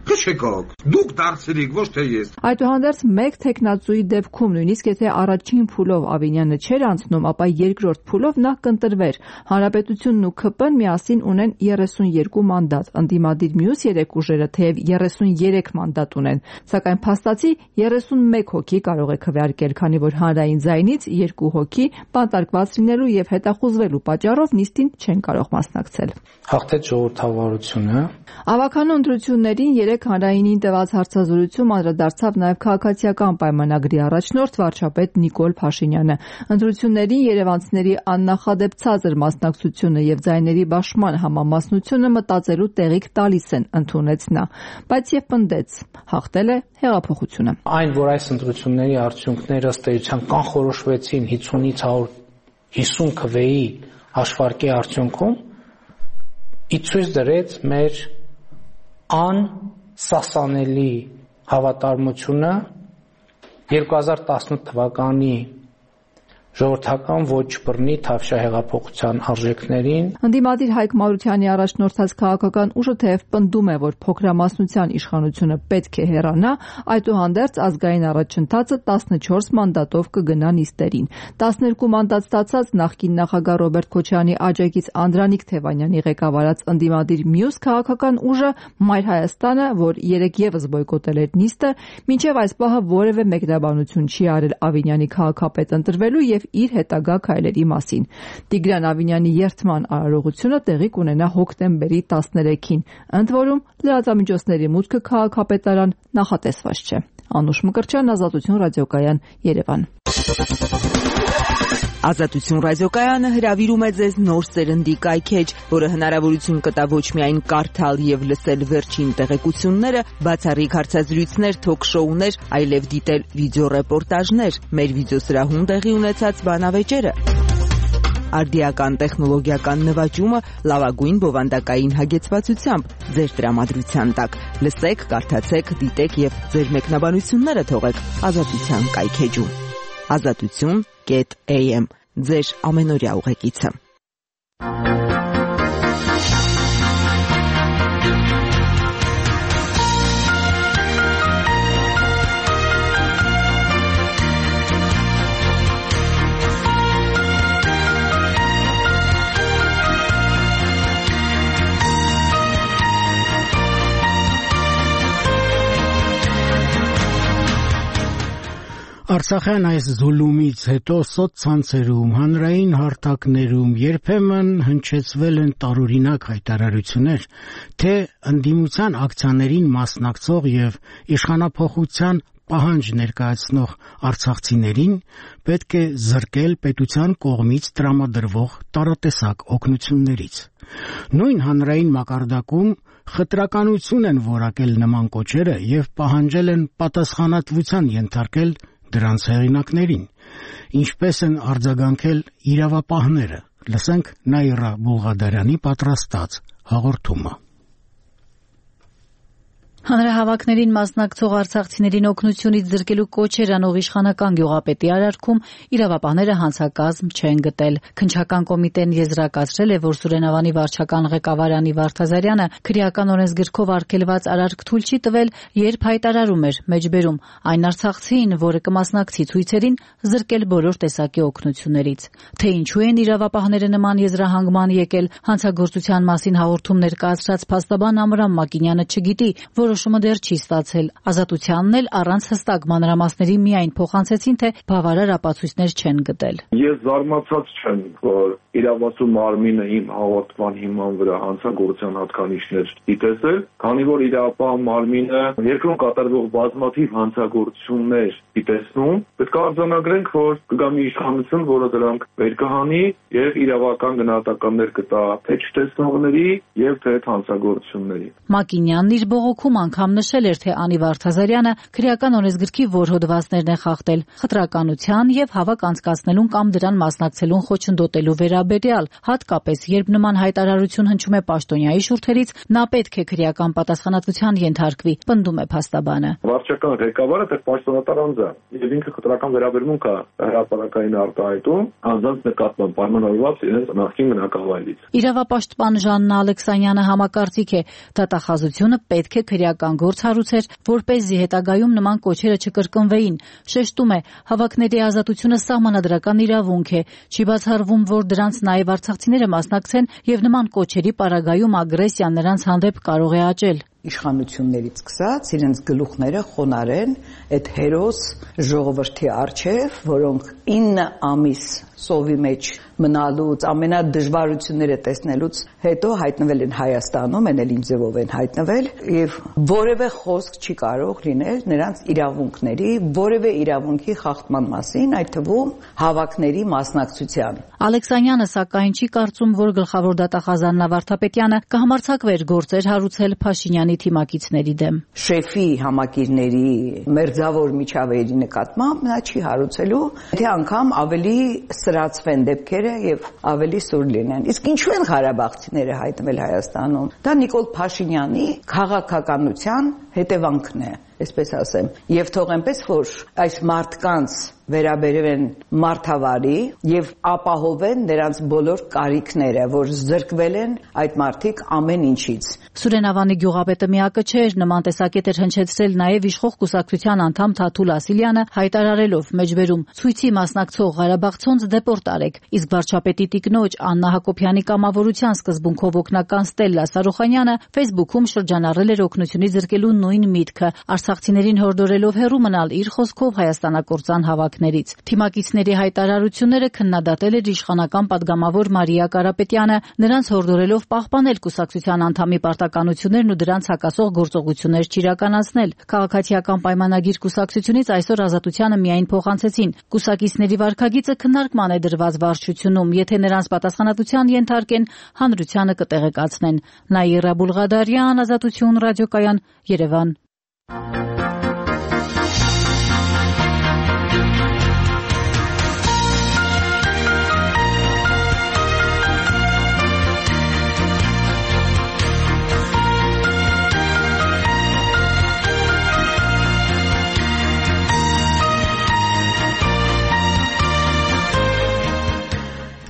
Քշեկոք, դուք դարձրիք, ոչ թե ես։ Այդուհանդերձ մեկ տեխնացուի դեպքում նույնիսկ եթե առաջին փուլով Ավինյանը չէր անցնում, ապա երկրորդ փուլով նա կընտրվեր։ Հանրապետությունն ու ԿՊ-ն միասին ունեն 32 մանդատ, ընդդիմադիր մյուս 3 ուժերը թեև 33 մանդատ ունեն, սակայն փաստացի 31 հոգի կարող է քվեարկել, քանի որ հանրային ձայնից 2 հոգի բանտարկված լինելու եւ հետախուզվելու պատճառով նիստին չեն կարող մասնակցել։ Հաղթեց ժողովրդավարությունը։ Ավականու ընտրություններին 3 հանրայինին տված հարցազրույցում անդրադարձավ նաև քաղաքացիական պայմանագրի առաջնորդ վարչապետ Նիկոլ Փաշինյանը։ Ընտրություններին երևանցիների աննախադեպ ցածր մասնակցությունը եւ ձայների բաշխման համամասնությունը մտածելու տեղիք տալիս են, ընդունեց նա, բայց եւ պնդեց, հաղթել է հեղափոխությունը։ Այն, որ այս ընտրությունների արդյունքները ըստ էության կանխորոշվեցին 50-ից 150 քվեի հաշվարկի արդյունքում, ցույց դրեց մեր անսասանելի հավատարմությունը 2018 թվականի ժողովրդական ոչ բռնի Թավշյա հեղափոխության արժեքներին։ Ընդդիմադիր Հայկ Մարությանի առաջնորդած քաղաքական ուժը թեև պնդում է, որ փոքրամասնության իշխանությունը պետք է հեռանա, այդուհանդերձ ազգային առաջընթացը 14 մանդատով կգնա նիստերին։ 12 մանդատ ստացած նախկին նախագահ Ռոբերտ Քոչարյանի աջակից Անդրանիկ Թևանյանի ղեկավարած ընդդիմադիր մյուս քաղաքական ուժը Մայր Հայաստանը, որ երեկ եւս բոյկոտել էր նիստը, մինչև այս պահը որևէ մեկնաբանություն չի արել Ավինյանի քաղաքապետ ընտրվելու եւ իր հետագա քայլերի մասին։ Տիգրան Ավինյանի երթման արարողությունը տեղի կունենա հոկտեմբերի 13-ին, ընդ որում լրատվամիջոցների մուտքը քաղաքապետարան նախատեսված չէ։ Անուշ Մկրտչյան, Ազատություն ռադիոկայան, Երևան։ Ազատություն ռադիոկայանը հրավիրում է ձեզ նոր սերնդի կայքեջ, որը հնարավորություն կտա ոչ միայն կարդալ եւ լսել վերջին տեղեկությունները, բացառիկ հարցազրույցներ, թոք-շոուներ, այլև դիտել վիդեոռեպորտաժներ, մեր վիդեոսրահում տեղի ունեցած բանավեճերը, արդիական տեխնոլոգիական նվաճումը լավագույն բովանդակային հագեցվածությամբ ձեր տրամադրության տակ։ Լսեք, կարդացեք, դիտեք եւ ձեր մեկնաբանությունները թողեք Ազատության կայքեջում։ Azatutun.am ձեր ամենօրյա ուղեկիցը։ Արցախյան այս զուլումից հետո սոցցանցերում, հանրային հարթակներում երբեմն հնչեցվել են տարօրինակ հայտարարություններ, թե ընդդիմության ակցիաներին մասնակցող եւ իշխանափոխության պահանջ ներկայացնող արցախցիներին պետք է զրկել պետության կողմից տրամադրվող տարատեսակ օգնություններից։ Նույն հանրային մակարդակում խտրականություն են որակել նման կոչերը եւ պահանջել են պատասխանատվության ենթարկել դրանց հեղինակներին, ինչպես են արձագանքել իրավապահները։ Լսենք Նաիրա Բուլղադարյանի պատրաստած հաղորդումը։ Հանրահավաքներին մասնակցող արցախցիներին օգնությունից զրկելու կոչեր անող իշխանական գյուղապետի արարքում իրավապահները հանցակազմ չեն գտել։ Քննչական կոմիտեն եզրակացրել է, որ Սուրեն Ավանի վարչական ղեկավար Անի Վարդազարյանը քրեական օրենսգրքով արգելված արարք թույլ չի տվել, երբ հայտարարում էր մեջբերում այն արցախցին, որը կմասնակցի ցույցերին, զրկել բոլոր տեսակի օգնություններից։ Թե ինչու են իրավապահները նման եզրահանգման եկել, հանցագործության մասին հաղորդում ներկայացրած փաստաբան Ամրամ Մակինյանը չգիտի, որոշումը դեռ չի ստացել։ Ազատությանն էլ առանց հստակ մանրամասների միայն փոխանցեցին, թե բավարար ապացույցներ չեն գտել։ Ես զարմացած չեմ, որ իրավասու մարմինը իմ հաղորդման հիման վրա հանցագործության հատկանիշներ դիտեցել, քանի որ իրավապահ մարմինը երկրում կատարվող բազմաթիվ հանցագործություններ դիտեցնում, պետք է արձանագրենք, որ կգա մի իշխանություն, որը դրանք վեր կհանի եւ իրավական գնահատականներ կտա թե չտեսնողների եւ թե հանցագործությունների։ Մակինյանն իր բողոքում անգամ նշել էր, թե Անի Վարդազարյանը քրեական օրենսգրքի որ հոդվածներն է խախտել, խտրականության եւ հավաք անցկացնելուն կամ դրան մասնակցելուն խոչընդոտելու վերաբերյալ, հատկապես երբ նման հայտարարություն հնչում է պաշտոնյայի շուրթերից, նա պետք է քրեական պատասխանատվության ենթարկվի, պնդում է փաստաբանը։ Վարչական ղեկավարը դեռ պաշտոնատար անձ է եւ ինքը խտրական վերաբերմունք է հրապարակային արտահայտում անձանց նկատմամբ պայմանավորված իրենց նախկին բնակավայրից։ Իրավապաշտպան Ժաննա Ալեքսանյանը համակարծիք է, դատախազությունը պետք է քրեական վարչական գործ հարուցեր, որպեսզի հետագայում նման կոչերը չկրկնվեին։ Շեշտում է, հավաքների ազատությունը սահմանադրական իրավունք է, չի բացառվում, որ դրանց նաև արցախցիները մասնակցեն եւ նման կոչերի պարագայում ագրեսիան նրանց հանդեպ կարող է աճել։ Իշխանություններից սկսած իրենց գլուխները խոնարեն այդ հերոս ժողովրդի առջև, որոնք 9 ամիս սովի մեջ մնալուց, ամենադժվարությունները տեսնելուց հետո հայտնվել են Հայաստանում, են էլ ինչ ձևով են հայտնվել, եւ որևէ խոսք չի կարող լինել նրանց իրավունքների, որևէ իրավունքի խախտման մասին, այդ թվում հավաքների մասնակցության։ Ալեքսանյանը սակայն չի կարծում, որ գլխավոր դատախազան Վարդապետյանը կհամարձակվեր գործեր հարուցել Փաշինյանի թիմակիցների դեմ։ Շեֆի համակիրների մերձավոր միջավայրի նկատմամբ նա չի հարուցելու, թե անգամ ավելի սրացվեն դեպքերը եւ ավելի սուր լինեն։ Իսկ ինչու են ղարաբաղցիները հայտնվել Հայաստանում։ Դա Նիկոլ Փաշինյանի քաղաքականության հետևանքն է, այսպես ասեմ, եւ թող այնպես որ այս մարդկանց վերաբերեն մարդավարի եւ ապահովեն նրանց բոլոր կարիքները, որ զրկվել են այդ մարդիկ ամեն ինչից։ Սուրենավանի գյուղապետը միակը չէր, նման տեսակետ էր հնչեցրել նաեւ իշխող կուսակցության անդամ Թաթուլ Ասիլյանը, հայտարարելով մեջբերում ցույցի մասնակցող ղարաբաղցոնց դեպորտ արեք, իսկ վարչապետի տիկնոջ Աննա Հակոբյանի կամավորության սկզբունքով օգնական Ստելլա Սարոխանյանը Facebook-ում շրջանառել էր օգնությունից զրկելու նույն միտքը, արցախցիներին հորդորելով հեռու մնալ իր խոսքով հայաստանակործան հավաքներից։ Թիմակիցների հայտարարությունները քննադատել էր իշխանական падգամավոր Մարիա Կարապետյանը, նրանց հորդորելով պահպանել կուսակցության անդամի պարտականություններն ու դրանց հակասող գործողություններ չիրականացնել։ Քաղաքացիական պայմանագիր կուսակցությունից այսօր Ազատությանը միայն փոխանցեցին։ Կուսակիցների վարքագիծը քննարկման է դրված վարչությունում, եթե նրանց պատասխանատվության ենթարկեն, հանրությանը կտեղեկացնեն։ Նաիրա Բուլղադարյան, Ազատություն ռադիոկայան, Երևան։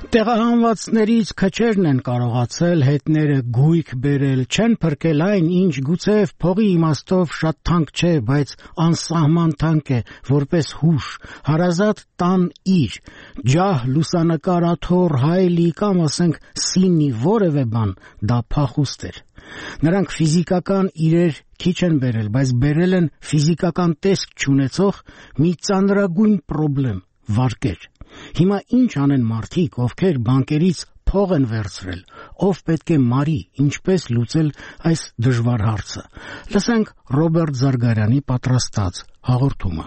Տեղահանվածներից քչերն են կարողացել հետները գույք բերել, չեն փրկել այն, ինչ գուցեև փողի իմաստով շատ թանկ չէ, բայց անսահման թանկ է, որպես հուշ, հարազատ տան իր, ջահ, լուսանկար, աթոռ, հայելի կամ ասենք սինի որևէ բան, դա փախուստ էր։ Նրանք ֆիզիկական իրեր քիչ են բերել, բայց բերել են ֆիզիկական տեսք չունեցող մի ծանրագույն խնդրեմ՝ վարկեր։ Հիմա ինչ անեն մարդիկ, ովքեր բանկերից փող են վերցրել, ով պետք է մարի, ինչպես լուծել այս դժվար հարցը։ Լսենք Ռոբերտ Զարգարյանի պատրաստած հաղորդումը։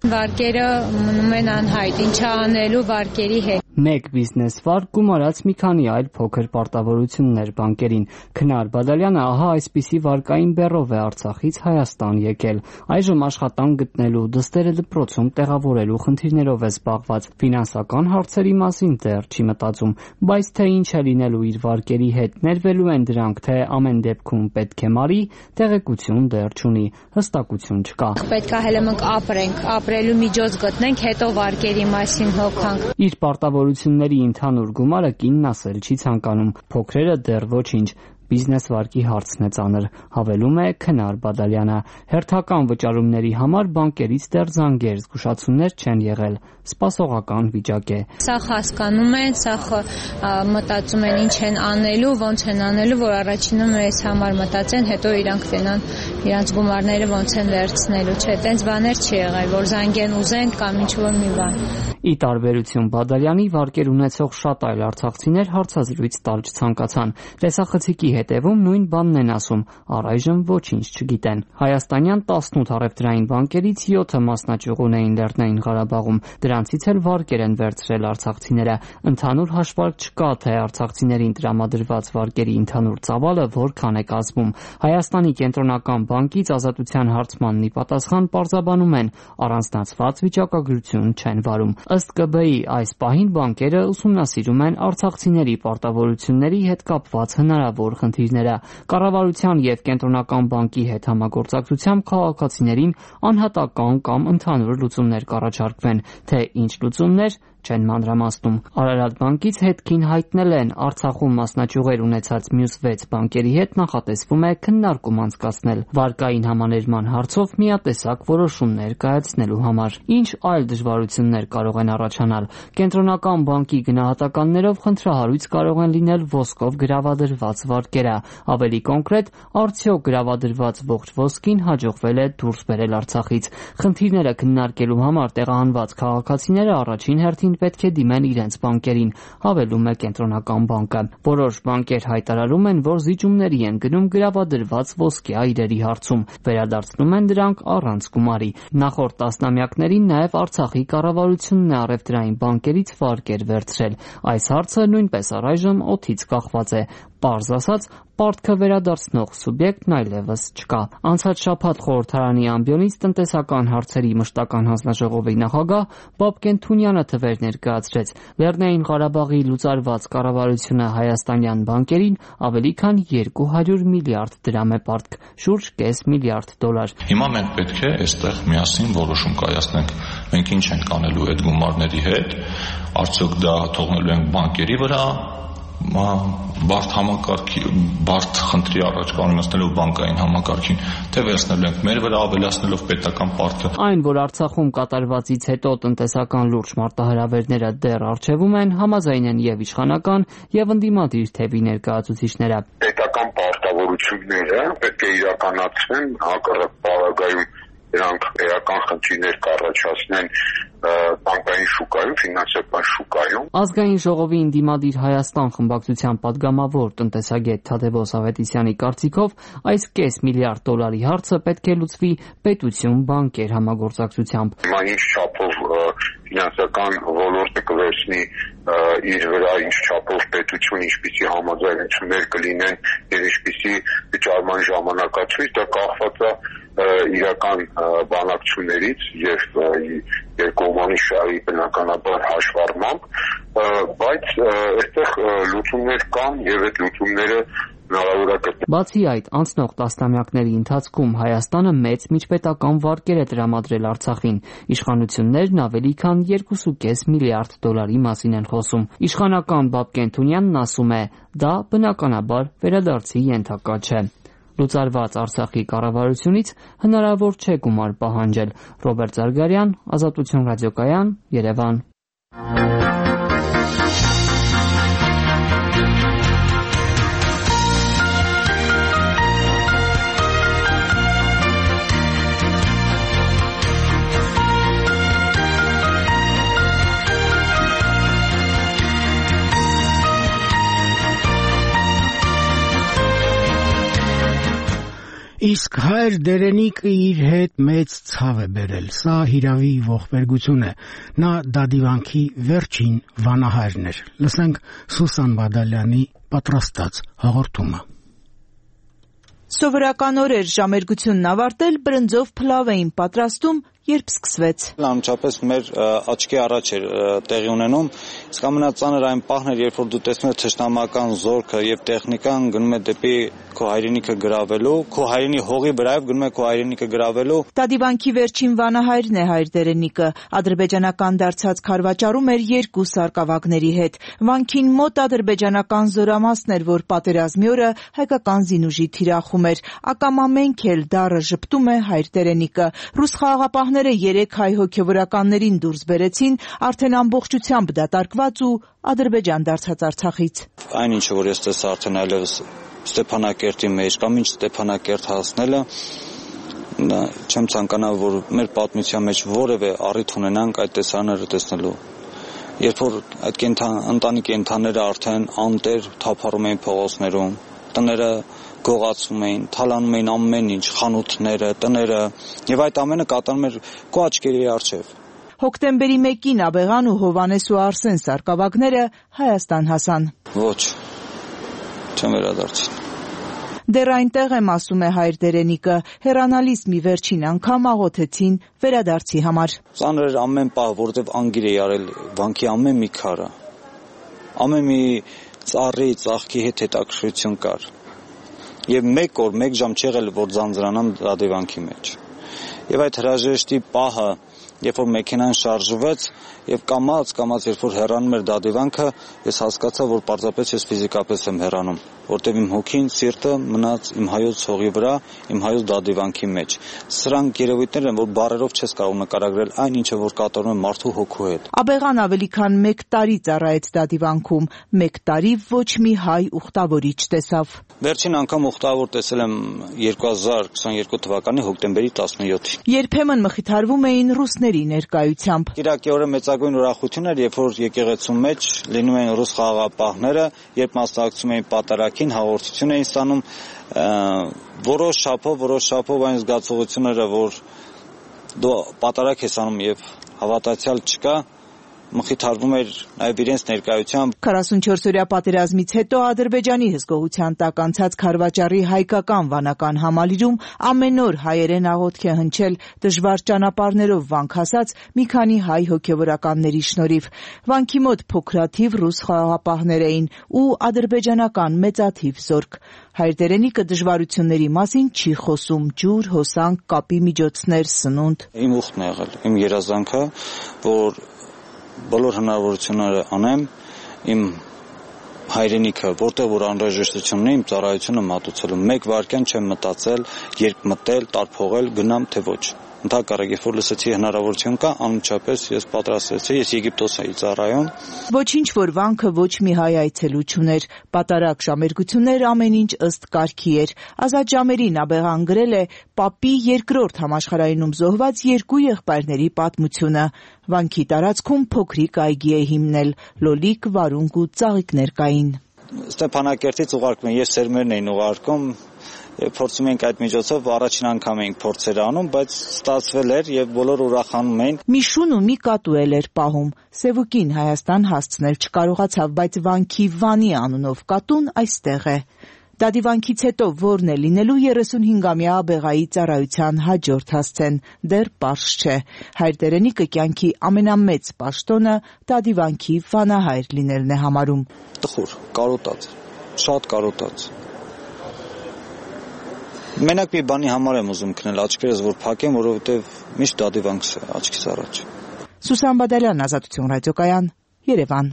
Վարկերը մնում են անհայտ, ինչ անելու վարկերի հետ։ Մեկ բիզնես վարկ գումարած մի քանի այլ փոքր պարտավորություններ բանկերին։ Քնար Բադալյանը ահա այսպիսի վարկային բեռով է Արցախից Հայաստան եկել։ Այժմ աշխատանք գտնելու, դստերը դպրոցում տեղավորելու խնդիրներով է զբաղված։ Ֆինանսական հարցերի մասին դեռ չի մտածում, բայց թե ինչ է լինելու իր վարկերի հետ, ներվելու են դրանք, թե ամեն դեպքում պետք է մարի, տեղեկություն դեռ չունի, հստակություն չկա։ Պետք է հենց մենք ապրելու միջոց գտնենք, հետո վարկերի մասին հոգանք։ Իր պարտավորությունների ընդհանուր գումարը կինն ասել չի ցանկանում, փոքրերը դեռ ոչինչ։ Բիզնես վարկի հարցն է ծանր, հավելում է Քնար Բադալյանը։ Հերթական վճարումների համար բանկերից դեռ զանգեր, զգուշացումներ չեն եղել, սպասողական վիճակ է։ Սա հասկանում են, սա մտածում են ինչ են անելու, ոնց են անելու, որ առաջինը մեզ համար մտածեն, հետո իրանք տենան իրանց գումարները ոնց են վերցնելու, չէ, տենց բաներ չի եղել, որ զանգեն ուզեն կամ ինչ-որ մի բան։ Ի տարբերություն Բադալյանի, վարկեր ունեցող շատ այլ արցախցիներ հարցազրույց տալ չցանկացան։ Տեսախցիկի հետևում նույն բանն են ասում, առայժմ ոչինչ չգիտեն։ Հայաստանյան 18 առևտրային բանկերից 7-ը մասնաճյուղ ունեին Լեռնային Ղարաբաղում, դրանցից էլ վարկեր են վերցրել արցախցիները։ Ընդհանուր հաշվարկ չկա, թե արցախցիներին տրամադրված վարկերի ընդհանուր ծավալը որքան է կազմում։ Հայաստանի կենտրոնական բանկից Ազատության հարցմանն ի պատասխան պարզաբանում են, առանձնացված վիճակագրություն չեն վարում։ Ըստ ԿԲ-ի այս պահին բանկերը ուսումնասիրում են արցախցիների պարտավորությունների հետ կապված հնարավոր խնդիրները։ Կառավարության եւ կենտրոնական բանկի հետ համագործակցությամբ քաղաքացիներին անհատական կամ ընդհանուր լուծումներ կառաջարկվեն, թե ինչ լուծումներ չեն մանրամասնում։ Արարատ բանկից հետքին հայտնել են Արցախում մասնաճյուղեր ունեցած մյուս 6 բանկերի հետ նախատեսվում է քննարկում անցկացնել վարկային համաներման հարցով միատեսակ որոշումներ կայացնելու համար։ Ինչ այլ դժվարություններ կարող են առաջանալ։ Կենտրոնական բանկի գնահատականներով խնդրահարույց կարող են լինել ոսկով գրավադրված վարկերը։ Ավելի կոնկրետ, արդյոք գրավադրված ողջ ոսկին հաջողվել է դուրս բերել Արցախից։ Խնդիրները քննարկելու համար տեղահանված քաղաքացիները առաջին հերթին պետք է դիմեն իրենց բանկերին, հավելում է Կենտրոնական բանկը։ Որոշ բանկեր հայտարարում են, որ զիջումների են գնում գրավադրված ոսկե այրերի հարցում, վերադարձնում են դրանք առանց գումարի։ Նախորդ տասնամյակներին նաև Արցախի կառավարությունն է առևտրային բանկերից վարկեր վերցրել։ Այս հարցը նույնպես առայժմ օդից կախված է։ Պարզ ասած, պարտքը վերադարձնող սուբյեկտն այլևս չկա։ Անցած շաբաթ խորհրդարանի ամբիոնից տնտեսական հարցերի մշտական հանձնաժողովի նախագահ Բաբկեն Թունյանը թվեր ներկայացրեց։ Լեռնային Ղարաբաղի լուծարված կառավարությունը հայաստանյան բանկերին ավելի քան 200 միլիարդ դրամ է պարտք, շուրջ կես միլիարդ դոլար։ Հիմա մենք պետք է այստեղ միասին որոշում կայացնենք։ Մենք ինչ ենք անելու այդ գումարների հետ, արդյոք դա թողնելու ենք բանկերի վրա, բարդ խնդրի առաջ կանոնացնելով բանկային համակարգին, թե վերցնելու ենք մեր վրա ավելացնելով պետական պարտքը։ Այն, որ Արցախում կատարվածից հետո տնտեսական լուրջ մարտահրավերները դեռ առջևում են, համաձայն են եւ իշխանական եւ ընդդիմադիր թևի ներկայացուցիչները։ Պետական պարտավորությունները պետք է իրականացվեն, հակառակ պարագայում դրանք էական խնդիրներ կառաջացնեն բանկային շուկայում, ֆինանսական շուկայում։ Ազգային ժողովի ընդդիմադիր Հայաստան խմբակցության падգամավոր տնտեսագետ Թադևոս Ավետիսյանի կարծիքով այս կես միլիարդ դոլարի հարցը պետք է լուծվի պետություն-բանկեր համագործակցությամբ։ Հիմա ինչ չափով ֆինանսական ոլորտը կվերցնի իր վրա, ինչ չափով պետություն, ինչպիսի համաձայնություններ կլինեն եւ ինչպիսի վճարման ժամանակացույց, դա կախված է իրական բանակցություններից եւ երկկողմանի շահի բնականաբար հաշվառմամբ, բայց այստեղ լուծումներ կան եւ այդ լուծումները հնարավոր է գտնել։ Բացի այդ, անցնող տասնամյակների ընթացքում Հայաստանը մեծ միջպետական վարկեր է տրամադրել Արցախին։ Իշխանություններն ավելի քան 2.5 միլիարդ դոլարի մասին են խոսում։ Իշխանական Բաբկեն Թունյանն ասում է, դա բնականաբար վերադարձի ենթակա չէ։ Լուծարված Արցախի կառավարությունից հնարավոր չէ գումար պահանջել։ Ռոբերտ Զարգարյան, Ազատություն ռադիոկայան, Երևան։ Իսկ հայր դերենիկը իր հետ մեծ ցավ է բերել։ Սա հիրավի ողբերգություն է։ Նա դադիվանքի վերջին վանահայրն էր։ Լսենք Սուսան Բադալյանի պատրաստած հաղորդումը։ Սովորական օրեր ժամերգությունն ավարտել բրնձով փլավ էին պատրաստում, երբ սկսվեց։ Անմիջապես մեր աչքի առաջ էր տեղի ունենում, իսկ ամենածանր այն պահն էր, երբ որ դու տեսնում ես թշնամական զորքը եւ տեխնիկան գնում է դեպի քո հայրենիքը գրավելու, քո հայրենի հողի վրայով գնում է քո հայրենիքը գրավելու։ Դադիվանքի վերջին վանահայրն է հայր դերենիկը, ադրբեջանական դարձած քարվաճառում էր 2 սարկավագների հետ։ Վանքին մոտ ադրբեջանական զորամասն էր, որ պատերազմի օրը հայկական զինուժի թիրախում էր։ Ակամամենք էլ դառը ժպտում է հայր դերենիկը։ Ռուս խաղաղապահները 3 հայ հոգևորականներին դուրս բերեցին, արդեն ամբողջությամբ դատարկված ու Ադրբեջան դարձած Արցախից։ Այն ինչը որ ես տեսա արդեն այլևս Ստեփանակերտի մեջ կամ ինչ Ստեփանակերտ հասնելը, չեմ ցանկանա, որ մեր պատմության մեջ որևէ առիթ ունենանք այդ տեսարանները տեսնելու։ Երբ որ այդ ընտանի կենդանները արդեն անտեր թափառում էին փողոցներում, տները գողացում էին, թալանում էին ամեն ինչ, խանութները, տները, եւ այդ ամենը կատարում էր քո աչքերի առջև։ Հոկտեմբերի 1-ին Աբեղան ու Հովանես ու Արսեն սարկավագները Հայաստան հասան։ Ոչ, չեմ վերադարձել։ Դեռ այնտեղ եմ, ասում է հայր դերենիկը, հեռանալիս մի վերջին անգամ աղոթեցին վերադարձի համար։ Ծանր էր ամեն պահ, որովհետև անգիր էի արել վանքի ամեն մի քարը, ամեն մի ծառի, ծաղկի հետ հետաքրքրություն կար։ Եվ 1 օր, 1 ժամ չեղել, որ ձանձրանամ դադիվանքի մեջ։ Եվ այդ հրաժեշտի պահը երբ որ մեքենան շարժվեց եւ կամած երբ որ հեռանում էր դադիվանքը, ես հասկացա, որ պարզապես ես ֆիզիկապես եմ հեռանում, որտեղ իմ հոգին, սիրտը մնաց իմ հայոց հողի վրա, իմ հայոց դադիվանքի մեջ։ Սրանք երևույթներ են, որ բառերով չես կարող նկարագրել այն, ինչը որ կատարում է մարդու հոգու հետ։ Աբեղան ավելի քան 1 տարի ծառայեց դադիվանքում, 1 տարի ոչ մի հայ ուխտավորիչ տեսավ։ Վերջին անգամ ուխտավոր տեսել եմ 2022 թվականի հոկտեմբերի 17-ին։ Երբեմն մխիթարվում էին ռուսների ներկայությամբ։ Կիրակի մեծագույն ուրախություն էր, երբ որ եկեղեցու մեջ լինում էին ռուս խաղաղապահները, երբ մասնակցում էին պատարագին, հաղորդություն էին ստանում, որոշ շաբաթ այն զգացողությունները, որ դու պատարագ ես անում եւ հավատացյալ չկա, մխիթարվում էր նաև իրենց ներկայությամբ։ 44-օրյա պատերազմից հետո Ադրբեջանի հսկողության տակ անցած Խարվաճարի հայկական վանական համալիրում ամեն օր հայերեն աղոթք է հնչել դժվար ճանապարհներով վանք հասած մի քանի հայ հոգևորականների շնորհիվ։ Վանքի մոտ փոքրաթիվ ռուս խաղաղապահներ էին ու ադրբեջանական մեծաթիվ զորք։ Հայրդերենիկը դժվարությունների մասին չի խոսում՝ ջուր, հոսանք, կապի միջոցներ, սնունդ։ Իմ ուխտն է եղել, իմ երազանքը, որ բոլոր հնարավորությունները անեմ իմ հայրենիքը, որտեղ որ անհրաժեշտությունն է իմ ծառայությունը մատուցելու։ 1 վայրկյան չեմ մտածել, երբ մտել, տարփողել, գնամ թե ոչ։ Ընդհակառակ, երբ որ լսեցի հնարավորություն կա, անմիջապես ես պատրաստվեցի, ես Եգիպտոս էի ծառայում։ Ոչինչ որ վանքը ոչ մի հայ այցելու չուներ, պատարագ ժամերգություններ ամեն ինչ ըստ կարգի էր։ Ազատ ժամերին Աբեղան գրել է Պապի 2-րդ համաշխարհայինում զոհված 2 եղբայրների պատմությունը։ Վանքի տարածքում փոքրիկ այգի է հիմնել, լոլիկ, վարունգ ու ծաղիկներ կային։ Ստեփանակերտից ուղարկում են, ես սերմերն էին ուղարկում, փորձում ենք այդ միջոցով առաջին անգամ էինք փորձեր անում, բայց ստացվել էր եւ բոլորը ուրախանում էին։ Մի շուն ու մի կատու էր պահում։ Սևուկին Հայաստան հասցնել չկարողացավ, բայց վանքի Վանի անունով կատուն այստեղ է։ Դադիվանքից հետո որն է լինելու 35-ամյա Աբեղայի ծառայության հաջորդ հասցեն, դեռ պարզ չէ։ Հայրդերենիկը կյանքի ամենամեծ պաշտոնը դադիվանքի վանահայր լինելն է համարում։ Տխուր, կարոտած, շատ կարոտած։ Մենակ մի բանի համար եմ ուզում քնել աչքերս, որ փակեմ, որովհետև միշտ դադիվանքս է աչքիս առաջ։ Սուսան Բադալյան, Ազատություն ռադիոկայան, Երևան։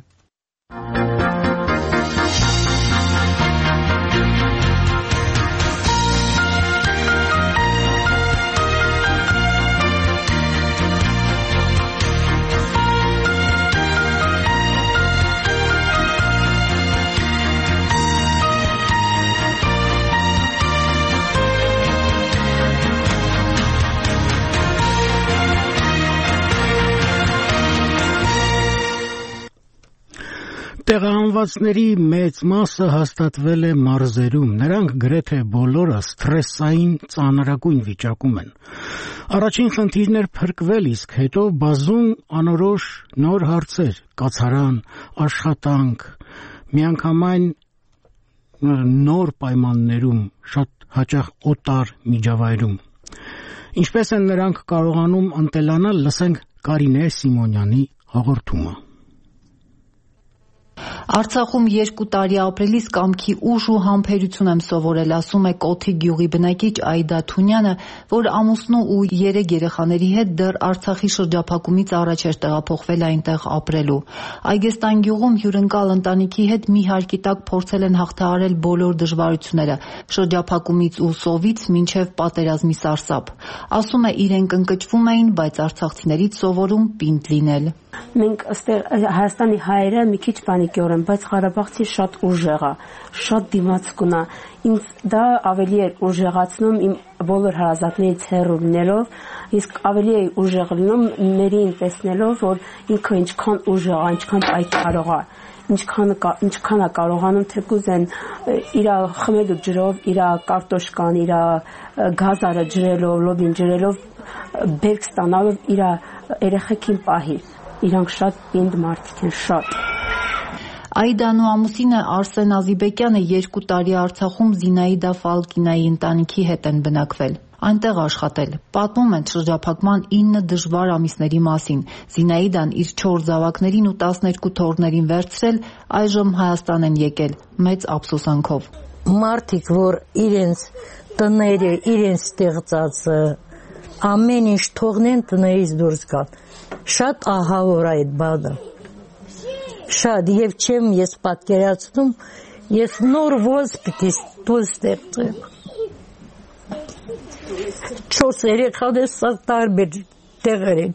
Տեղահանվածների մեծ մասը հաստատվել է մարզերում, նրանք գրեթե բոլորը սթրեսային ծանրագույն վիճակում են։ Առաջին խնդիրն էր փրկվել, իսկ հետո բազում անորոշ նոր հարցեր՝ կացարան, աշխատանք, միանգամայն նոր պայմաններում, շատ հաճախ օտար միջավայրում։ Ինչպես են նրանք կարողանում ընտելանալ, լսենք Կարինե Սիմոնյանի հաղորդումը։ Արցախում 2 տարի ապրելիս կամքի ուժ ու համբերություն եմ սովորել, ասում է Կոթի գյուղի բնակիչ Այդա Թունյանը, որ ամուսնու ու 3 երեխաների հետ դեռ Արցախի շրջափակումից առաջ էր տեղափոխվել այնտեղ ապրելու։ Այգեստան գյուղում հյուրընկալ ընտանիքի հետ մի հարկի տակ փորձել են հաղթահարել բոլոր դժվարությունները, շրջափակումից ու սովից մինչև պատերազմի սարսափ։ Ասում է իրենք ընկճվում էին, բայց արցախցիներից սովորում պինդ լինել։ Մենք այստեղ Հայաստանի հայերը մի քիչ պանիկյոր են, բայց Ղարաբաղցի շատ ուժեղ է, շատ դիմացկուն է։ Ինձ դա ավելի է ուժեղացնում իմ բոլոր հարազատներից հեռու լինելով, իսկ ավելի է ուժեղ լինում մերին տեսնելով, որ ինքը ինչքան ուժեղ է, ինչքան պայքարող է, ինչքան է կարողանում թեկուզ են իր խմելու ջրով, իր կարտոշկան, իր գազարը ջրելով, լոբին ջրելով, բերք ստանալով իր երեխեքին պահի։ Իրանք շատ պինդ մարդիկ են, շատ։ Այդան ու ամուսինը Արսեն Ազիբեկյանը 2 տարի Արցախում Զինայդա Ֆալկինայի ընտանիքի հետ են բնակվել։ Այնտեղ աշխատել։ Պատմում են շրջափակման 9 դժվար ամիսների մասին։ Զինայդան իր 4 զավակներին ու 12 թոռներին վերցրել, այժմ Հայաստան են եկել, մեծ ափսոսանքով։ Մարդիկ, որ իրենց տները, իրենց ստեղծած ամեն ինչ թողնեն տներից դուրս գան։ Շատ ահավոր այդ բանը։ Շատ եւ չեմ ես պատկերացնում, ես նոր ոնց պիտի դուրս ստեղծեմ։ 4 երեխաներ սա տարբեր տեղեր են։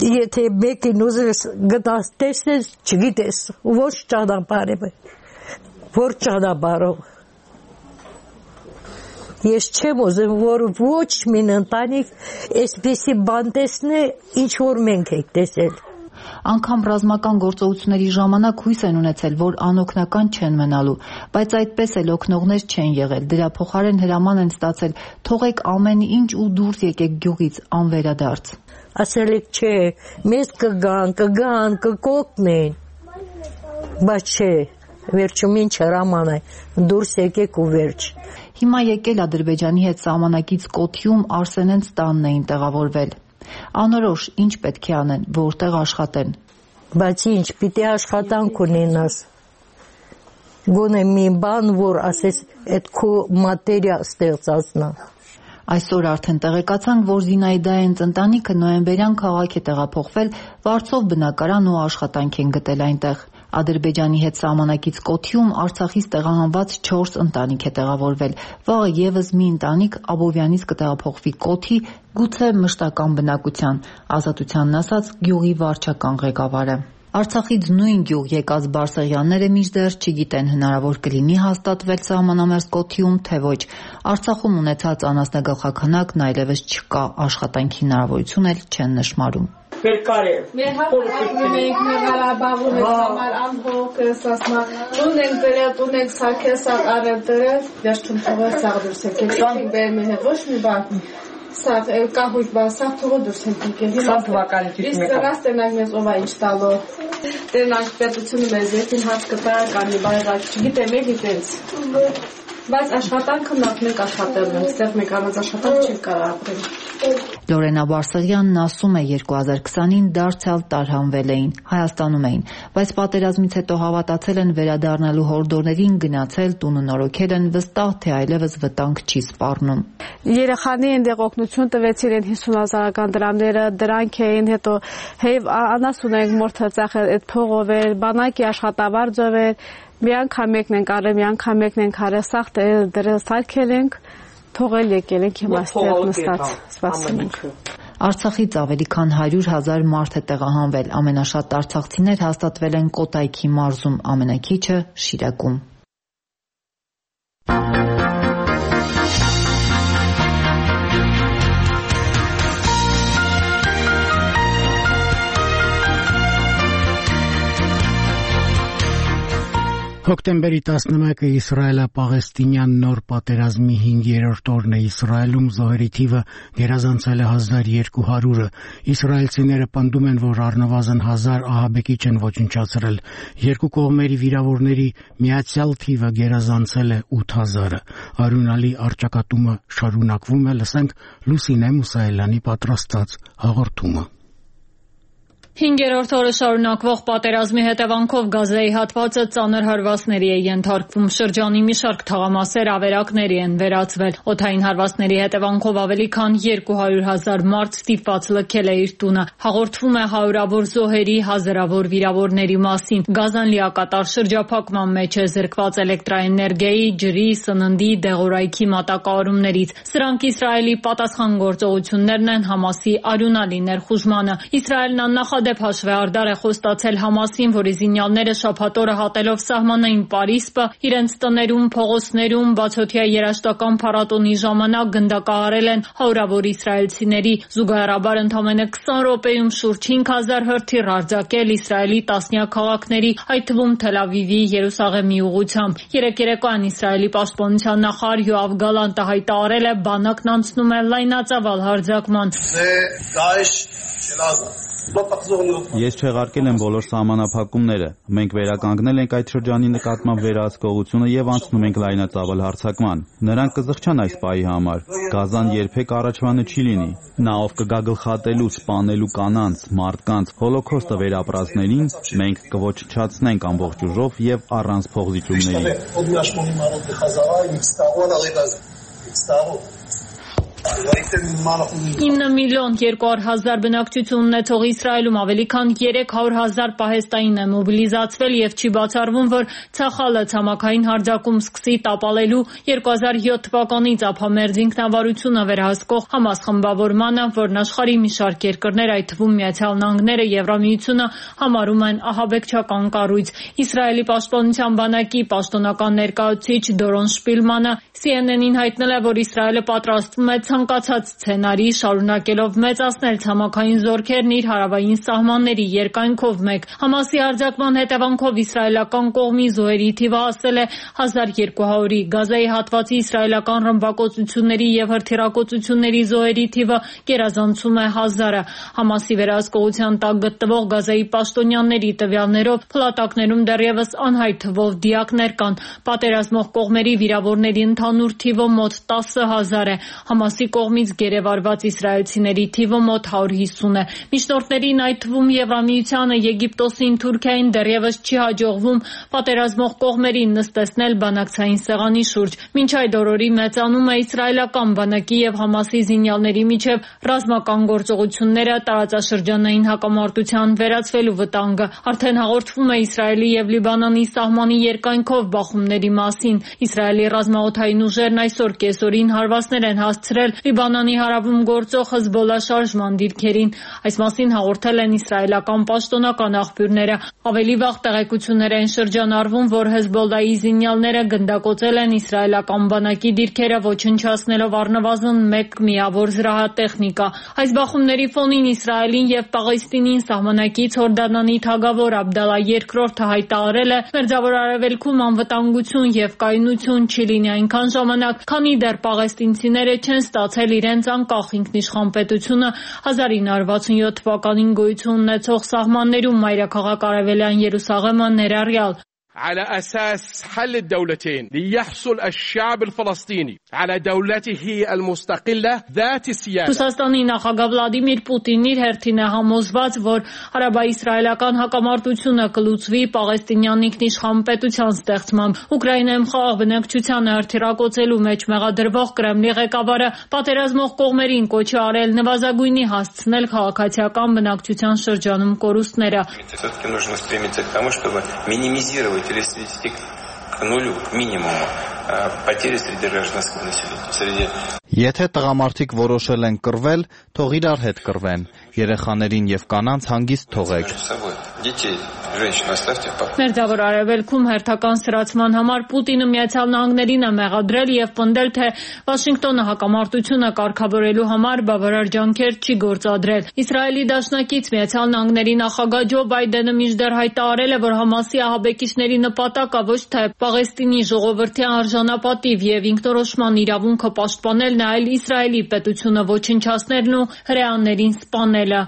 Եթե մեկին ուզես գտած տեսնես, չգիտես, ոչ ճանապարհ է, որ ճանապարհով։ Ես չեմ ուզում, որ ոչ մի ընտանիք այսպեսի բան տեսնի, ինչ որ մենք ենք տեսել։ Անգամ ռազմական գործողությունների ժամանակ հույս են ունեցել, որ անօգնական չեն մնալու, բայց այդպես էլ օգնողներ չեն եղել, դրա փոխարեն հրաման են ստացել, թողեք ամեն ինչ ու դուրս եկեք գյուղից անվերադարձ։ Ասել եք չէ, մեզ կգան, կկօգնեն, բայց չէ, վերջում ինչ հրաման է, դուրս եկեք ու վերջ։ Հիմա եկել Ադրբեջանի հետ սահմանակից Կոթիում Արսենենց տանն էին տեղավորվել։ Անորոշ ինչ պետք է անեն, որտեղ աշխատեն։ Բայց ինչ, պիտի աշխատանք ունենաս։ Գոնե մի բան, որ ասես այդ քո մատերիա ստեղծածնա։ Այսօր արդեն տեղեկացանք, որ Զինայդայենց ընտանիքը նոյեմբերյան քաղաք է տեղափոխվել, վարձով բնակարան ու աշխատանք են գտել այնտեղ։ Ադրբեջանի հետ սահմանակից Կոթիում Արցախից տեղահանված 4 ընտանիք է տեղավորվել։ Վաղը եւս մի ընտանիք Աբովյանից կտեղափոխվի Կոթի, գուցե մշտական բնակության, Ազատությանն ասաց գյուղի վարչական ղեկավարը։ Արցախից նույն գյուղ եկած Բարսեղյանները մինչդեռ չգիտեն հնարավոր կլինի հաստատվել սահմանամերձ Կոթիում, թե ոչ։ Արցախում ունեցած անասնագլխաքանակն այլևս չկա, աշխատանքի հնարավորություն էլ չեն նշмарում։ Մեր հապարակում ենք Ղարաբաղում ենք համար ամբողջ ասма ունենք դրել ունենք սարքել սաղ արել դրել վերջում թողել սաղ դուրս եկել ենք բերում հետ ոչ մի բան սաղ կահույք բան սաղ թողել դուրս եկել սաղ թվականի իսկ ռաստենակ մեզ ով է ինչ տալու տենանք պետությունը մեզ եկին հաց կտա կանի բայրակ չգիտեմ եք դից բայց աշխատանքը նախ մենք աշխատելն ենք ստեղ մեկ առանց աշխատանք չի կարող ապրել։ Լորենա Բարսեղյանն ասում է 2020-ին դարձյալ տարհանվել էին, Հայաստանում էին, բայց պատերազմից հետո հավատացել են վերադառնալու հորդորներին, գնացել, տունը նորոգել են, վստահ թե այլևս վտանգ չի սպառնում։ Երեխանի այնտեղ օգնություն տվեցին են 50,000 դրամները, դրանք էին հետո հեև անաս ունենք մորթը ծախել այդ փողով էր, բանակի աշխատավարձով էր, մի անգամ եկն ենք արել, մի անգամ եկն ենք արել, սաղ դրել սարքել ենք, թողել եկել ենք հիմա ստեղ նստած, սպասում ենք։ Արցախից ավելի քան 100,000 մարդ է տեղահանվել, ամենաշատ արցախցիներ հաստատվել են Կոտայքի մարզում, ամենաքիչը Շիրակում։ Հոկտեմբերի 11-ը Իսրայելա-Պաղեստինյան նոր պատերազմի 5-րդ օրն է Իսրայելում զոհերի թիվը գերազանցել է 1200-ը։ Իսրայելցիները պնդում են, որ առնվազն 1000 ահաբեկիչ են ոչնչացրել։ Երկու կողմերի վիրավորների միացյալ թիվը գերազանցել է 8000-ը։ Արյունալի առճակատումը շարունակվում է, լսենք Լուսինե Մուսայելյանի պատրաստած հաղորդումը։ 5-րդ օրը շարունակվող պատերազմի հետևանքով Գազայի հատվածը ծանր հարվածների է ենթարկվում։ Շրջանի մի շարք թաղամասեր ավերակների են վերածվել։ Օդային հարվածների հետևանքով ավելի քան 200,000 մարդ ստիպված լքել է իր տունը։ Հաղորդվում է հարյուրավոր զոհերի, հազարավոր վիրավորների մասին։ Գազան լիակատար շրջափակման մեջ է, զրկված էլեկտրաէներգիայի, ջրի, սննդի, դեղորայքի մատակարարումներից։ Սրանք Իսրայելի պատասխան գործողություններն են Համասի արյունալի ներխուժմանը։ Իսրայելն աննախադեպ հաշվեհարդար է խոստացել Համասին, որի զինյալները շաբաթ օրը հատելով սահմանային Պարիսպը իրենց տներում, փողոցներում բացօթյա երաժշտական փառատոնի ժամանակ գնդակահարել են հարյուրավոր իսրայելցիների։ Զուգահեռաբար ընդամենը 20 րոպեում շուրջ 5000 հրթիռ արձակել Իսրայելի տասնյակ քաղաքների, այդ թվում Թել Ավիվի, Երուսաղեմի ուղղությամբ։ Երեկ երեկոյան Իսրայելի պաշտպանության նախարար Յոավ Գալանտը հայտարարել է, բանակն անցնում է լայնածավալ հարձակման։ Ես չեղարկել եմ բոլոր սահմանափակումները։ Մենք վերականգնել ենք այդ շրջանի նկատմամբ վերահսկողությունը եւ անցնում ենք լայնածավալ հարձակման։ Նրանք կզղջան այս պահի համար։ Գազան երբեք առաջվանը չի լինի։ Նա ով կգա գլխատելու, սպանելու կանանց, մարդկանց, հոլոքոստը վերապրածներին, մենք կոչնչացնենք ամբողջ ուժով եւ առանց փողզիջումների։ 9 միլիոն 200,000 բնակչություն ունեցող Իսրայելում ավելի քան 300,000 պահեստային է մոբիլիզացվել եւ չի բացառվում, որ Ցախալը ցամաքային հարձակում սկսի տապալելու 2007 թվականից ափամերձ ինքնավարությունը վերահսկող Համաս խմբավորմանը, որն աշխարհի մի շարք երկրներ, այդ թվում Միացյալ Նահանգները, Եվրամիությունը համարում են ահաբեկչական կառույց։ Իսրայելի պաշտպանության բանակի պաշտոնական ներկայացուցիչ Դորոն Շպիլմանը CNN-ին հայտնել է, որ Իսրայելը պատրաստվում է ցանկացած սցենարի, շարունակելով մեծացնել ցամաքային զորքերն իր հարավային սահմանների երկայնքով մեկ։ Համասի հարձակման հետևանքով իսրայելական կողմի զոհերի թիվը հասել է 1200-ի։ Գազայի հատվածի իսրայելական ռմբակոծությունների եւ հրթիռակոծությունների զոհերի թիվը գերազանցում է 1000-ը։ Համասի վերահսկողության տակ գտնվող Գազայի պաշտոնյաների տվյալներով փլատակներում դեռևս անհայտ թվով դիակներ կան։ Պատերազմող կողմերի վիրավորների ընդհանուր թիվը մոտ 10,000 է։ Համասի կողմից գերեվարված իսրայելցիների թիվը մոտ 150 է։ Միջնորդներին, այդ թվում Եվրամիությանը, Եգիպտոսին, Թուրքիային դեռևս չի հաջողվում պատերազմող կողմերին նստեցնել բանակցային սեղանի շուրջ։ Մինչ այդ օրորի մեծանում է իսրայելական բանակի եւ Համասի զինյալների միջև ռազմական գործողությունները, տարածաշրջանային հակամարտության վերածվելու վտանգը։ Արդեն հաղորդվում է Իսրայելի եւ Լիբանանի սահմանի երկայնքով բախումների մասին։ Իսրայելի ռազմաօդային ուժերն այսօր կեսօրին հարվածներ են հասցրել Լիբանանի հարավում գործող Հեզբոլլա շարժման դիրքերին։ Այս մասին հաղորդել են իսրայելական պաշտոնական աղբյուրները։ Ավելի վաղ տեղեկություններ են շրջանառվում, որ Հեզբոլլայի զինյալները գնդակոծել են իսրայելական բանակի դիրքերը, ոչնչացնելով առնվազն 1 միավոր զրահատեխնիկա։ Այս բախումների ֆոնին Իսրայելին եւ Պաղեստինին սահմանակից Հորդանանի թագավոր Աբդալլա II-ը հայտարարել է Մերձավոր Արևելքում անվտանգություն եւ կայունություն չի լինի այնքան ժամանակ, քանի դեռ պաղեստինցիները չեն ստացել իրենց անկախ ինքնիշխան պետությունը 1967 թվականին գոյություն ունեցող սահմաններում մայրաքաղաք Արևելյան Երուսաղեմը ներառյալ։ على أساس حل الدولتين ليحصل الشعب الفلسطيني على دولته المستقلة ذات السيادة. Ռուսաստանի նախագահ Վլադիմիր Պուտինն իր հերթին է համոզված, որ հարաբա-իսրայելական հակամարտությունը կլուծվի պաղեստինյան ինքնիշխան պետության ստեղծմամբ։ Ուկրաինայում խաղաղ բնակչությանը հրթիռակոծելու մեջ մեղադրվող Կրեմլի ղեկավարը պատերազմող կողմերին կոչ է արել նվազագույնի հասցնել քաղաքացիական բնակչության շրջանում կորուստները։ Или свести к нулю, к минимуму потери среди гражданского населения. Եթե տղամարդիկ որոշել են կռվել, թող իրար հետ կռվեն։ Երեխաներին եւ կանանց հանգիստ թողեք։ Մերձավոր Արևելքում հերթական սրացման համար Պուտինը Միացյալ Նահանգներին է մեղադրել եւ պնդել, թե Վաշինգտոնը հակամարտությունը կարգավորելու համար բավարար ջանքեր չի գործադրել։ Իսրայելի դաշնակից Միացյալ Նահանգների նախագահ Ջո Բայդենը մինչդեռ հայտարարել է, որ Համասի ահաբեկիչների նպատակը ոչ թե Պաղեստինի ժողովրդի արժանապատիվ եւ ինքնորոշման իրավունքը պաշտպանելն, այլ Իսրայելի պետությունը ոչնչացնելն ու հրեաներին սպանելը։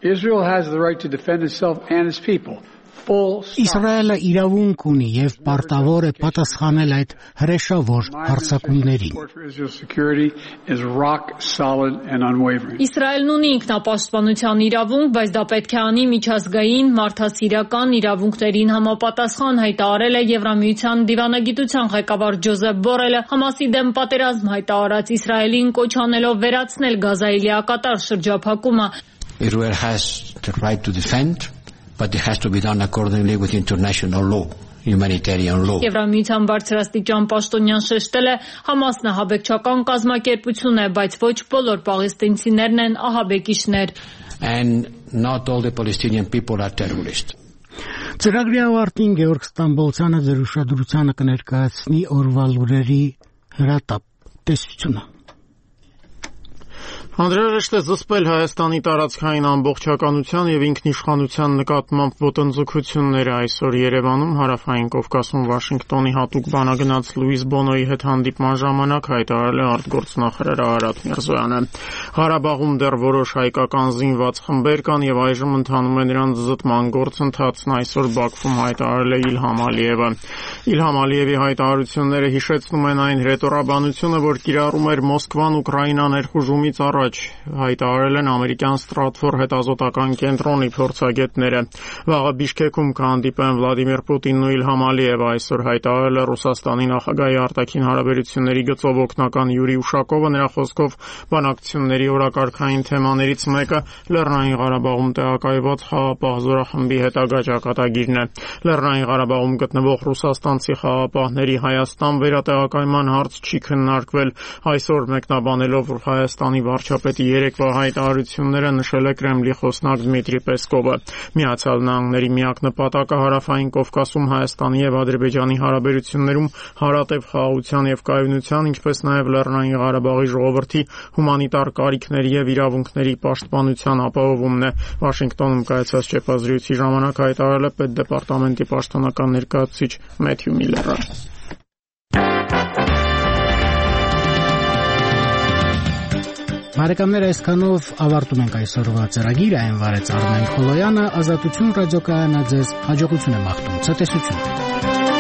Israel has the right to defend itself and its people. Իսրայելը իրավունք ունի եւ պարտավոր է պատասխանել այդ հրեշավոր հարձակումներին։ Իսրայելն ունի ինքնապաշտպանության իրավունք, բայց դա պետք է անի միջազգային մարդասիրական իրավունքներին համապատասխան, հայտարարել է Եվրամիության դիվանագիտության ղեկավար Ջոզեփ Բորելը, Համասի դեմ պատերազմ հայտարարած Իսրայելին կոչ անելով վերացնել Գազայի լիակատար շրջափակումը։ Israel has the right to defend, but it has to be done accordingly with international law, humanitarian law. Եվրամիության բարձրաստիճան պաշտոնյան շեշտել է Համասն ահաբեկչական կազմակերպություն է, բայց ոչ բոլոր պաղեստինցիներն են ահաբեկիչներ. And not all the Palestinian people are terrorists. Ծրագրի ավարտին Գեորգ Ստամբոլցյանը ձեր ուշադրությանը կներկայացնի օրվա լուրերի հրատապ տեսությունը։ Անհրաժեշտ է զսպել Հայաստանի տարածքային ամբողջականության եւ ինքնիշխանության նկատմամբ ոտնձգությունները այսօր Երևանում հարավային Կովկասում Վաշինգտոնի հատուկ բանագնաց Լուիս Բոնոյի հետ հանդիպման ժամանակ հայտարարել է արտգործնախարար Արարատ Միրզոյանը։ Ղարաբաղում դեռ որոշ հայկական զինված խմբեր կան եւ այժմ ընթանում է նրանց զտման գործընթացն, այսօր Բաքվում հայտարարել է Իլհամ Ալիևը։ Իլհամ Ալիևի հայտարարությունները հիշեցնում են այն հրետորաբանությունը, որ կիրառում էր Մոսկվան Ուկրաինա ներխուժումից առաջ առաջ հայտարարել են ամերիկյան Ստրատֆոր հետազոտական կենտրոնի փորձագետները։ Վաղը Բիշկեքում կհանդիպեն Վլադիմիր Պուտինն ու Իլհամ Ալիևը, այսօր հայտարարել է Ռուսաստանի նախագահի արտաքին հարաբերությունների գծով օգնական Յուրի Ուշակովը։ Նրա խոսքով բանակցությունների օրակարգային թեմաներից մեկը Լեռնային Ղարաբաղում տեղակայված խաղաղապահ զորախմբի հետագա ճակատագիրն է։ Լեռնային Ղարաբաղում գտնվող ռուսաստանցի խաղաղապահների Հայաստան վերատեղակայման հարց չի քննարկվել։ Այսօր մեկնաբանելով Հայաստանի վարչապետի երեկվա հայտարարությունները նշել է Կրեմլի խոսնակ Դմիտրի Պեսկովը։ Միացյալ Նահանգների միակ նպատակը Հարավային Կովկասում Հայաստանի եւ Ադրբեջանի հարաբերություններում հարատև խաղաղության եւ կայունության, ինչպես նաեւ Լեռնային Ղարաբաղի ժողովրդի հումանիտար կարիքների եւ իրավունքների պաշտպանության ապահովումն է։ Վաշինգտոնում կայացած ճեպազրույցի ժամանակ հայտարարել է Պետդեպարտամենտի պաշտոնական ներկայացուցիչ Մեթյու Միլլերը։ Բարեկամներ, այսքանով ավարտում ենք այսօրվա ծրագիրը, այն վարեց Արմեն Խոլոյանը, Ազատություն ռադիոկայանը ձեզ հաջողություն է մաղթում, ցտեսություն։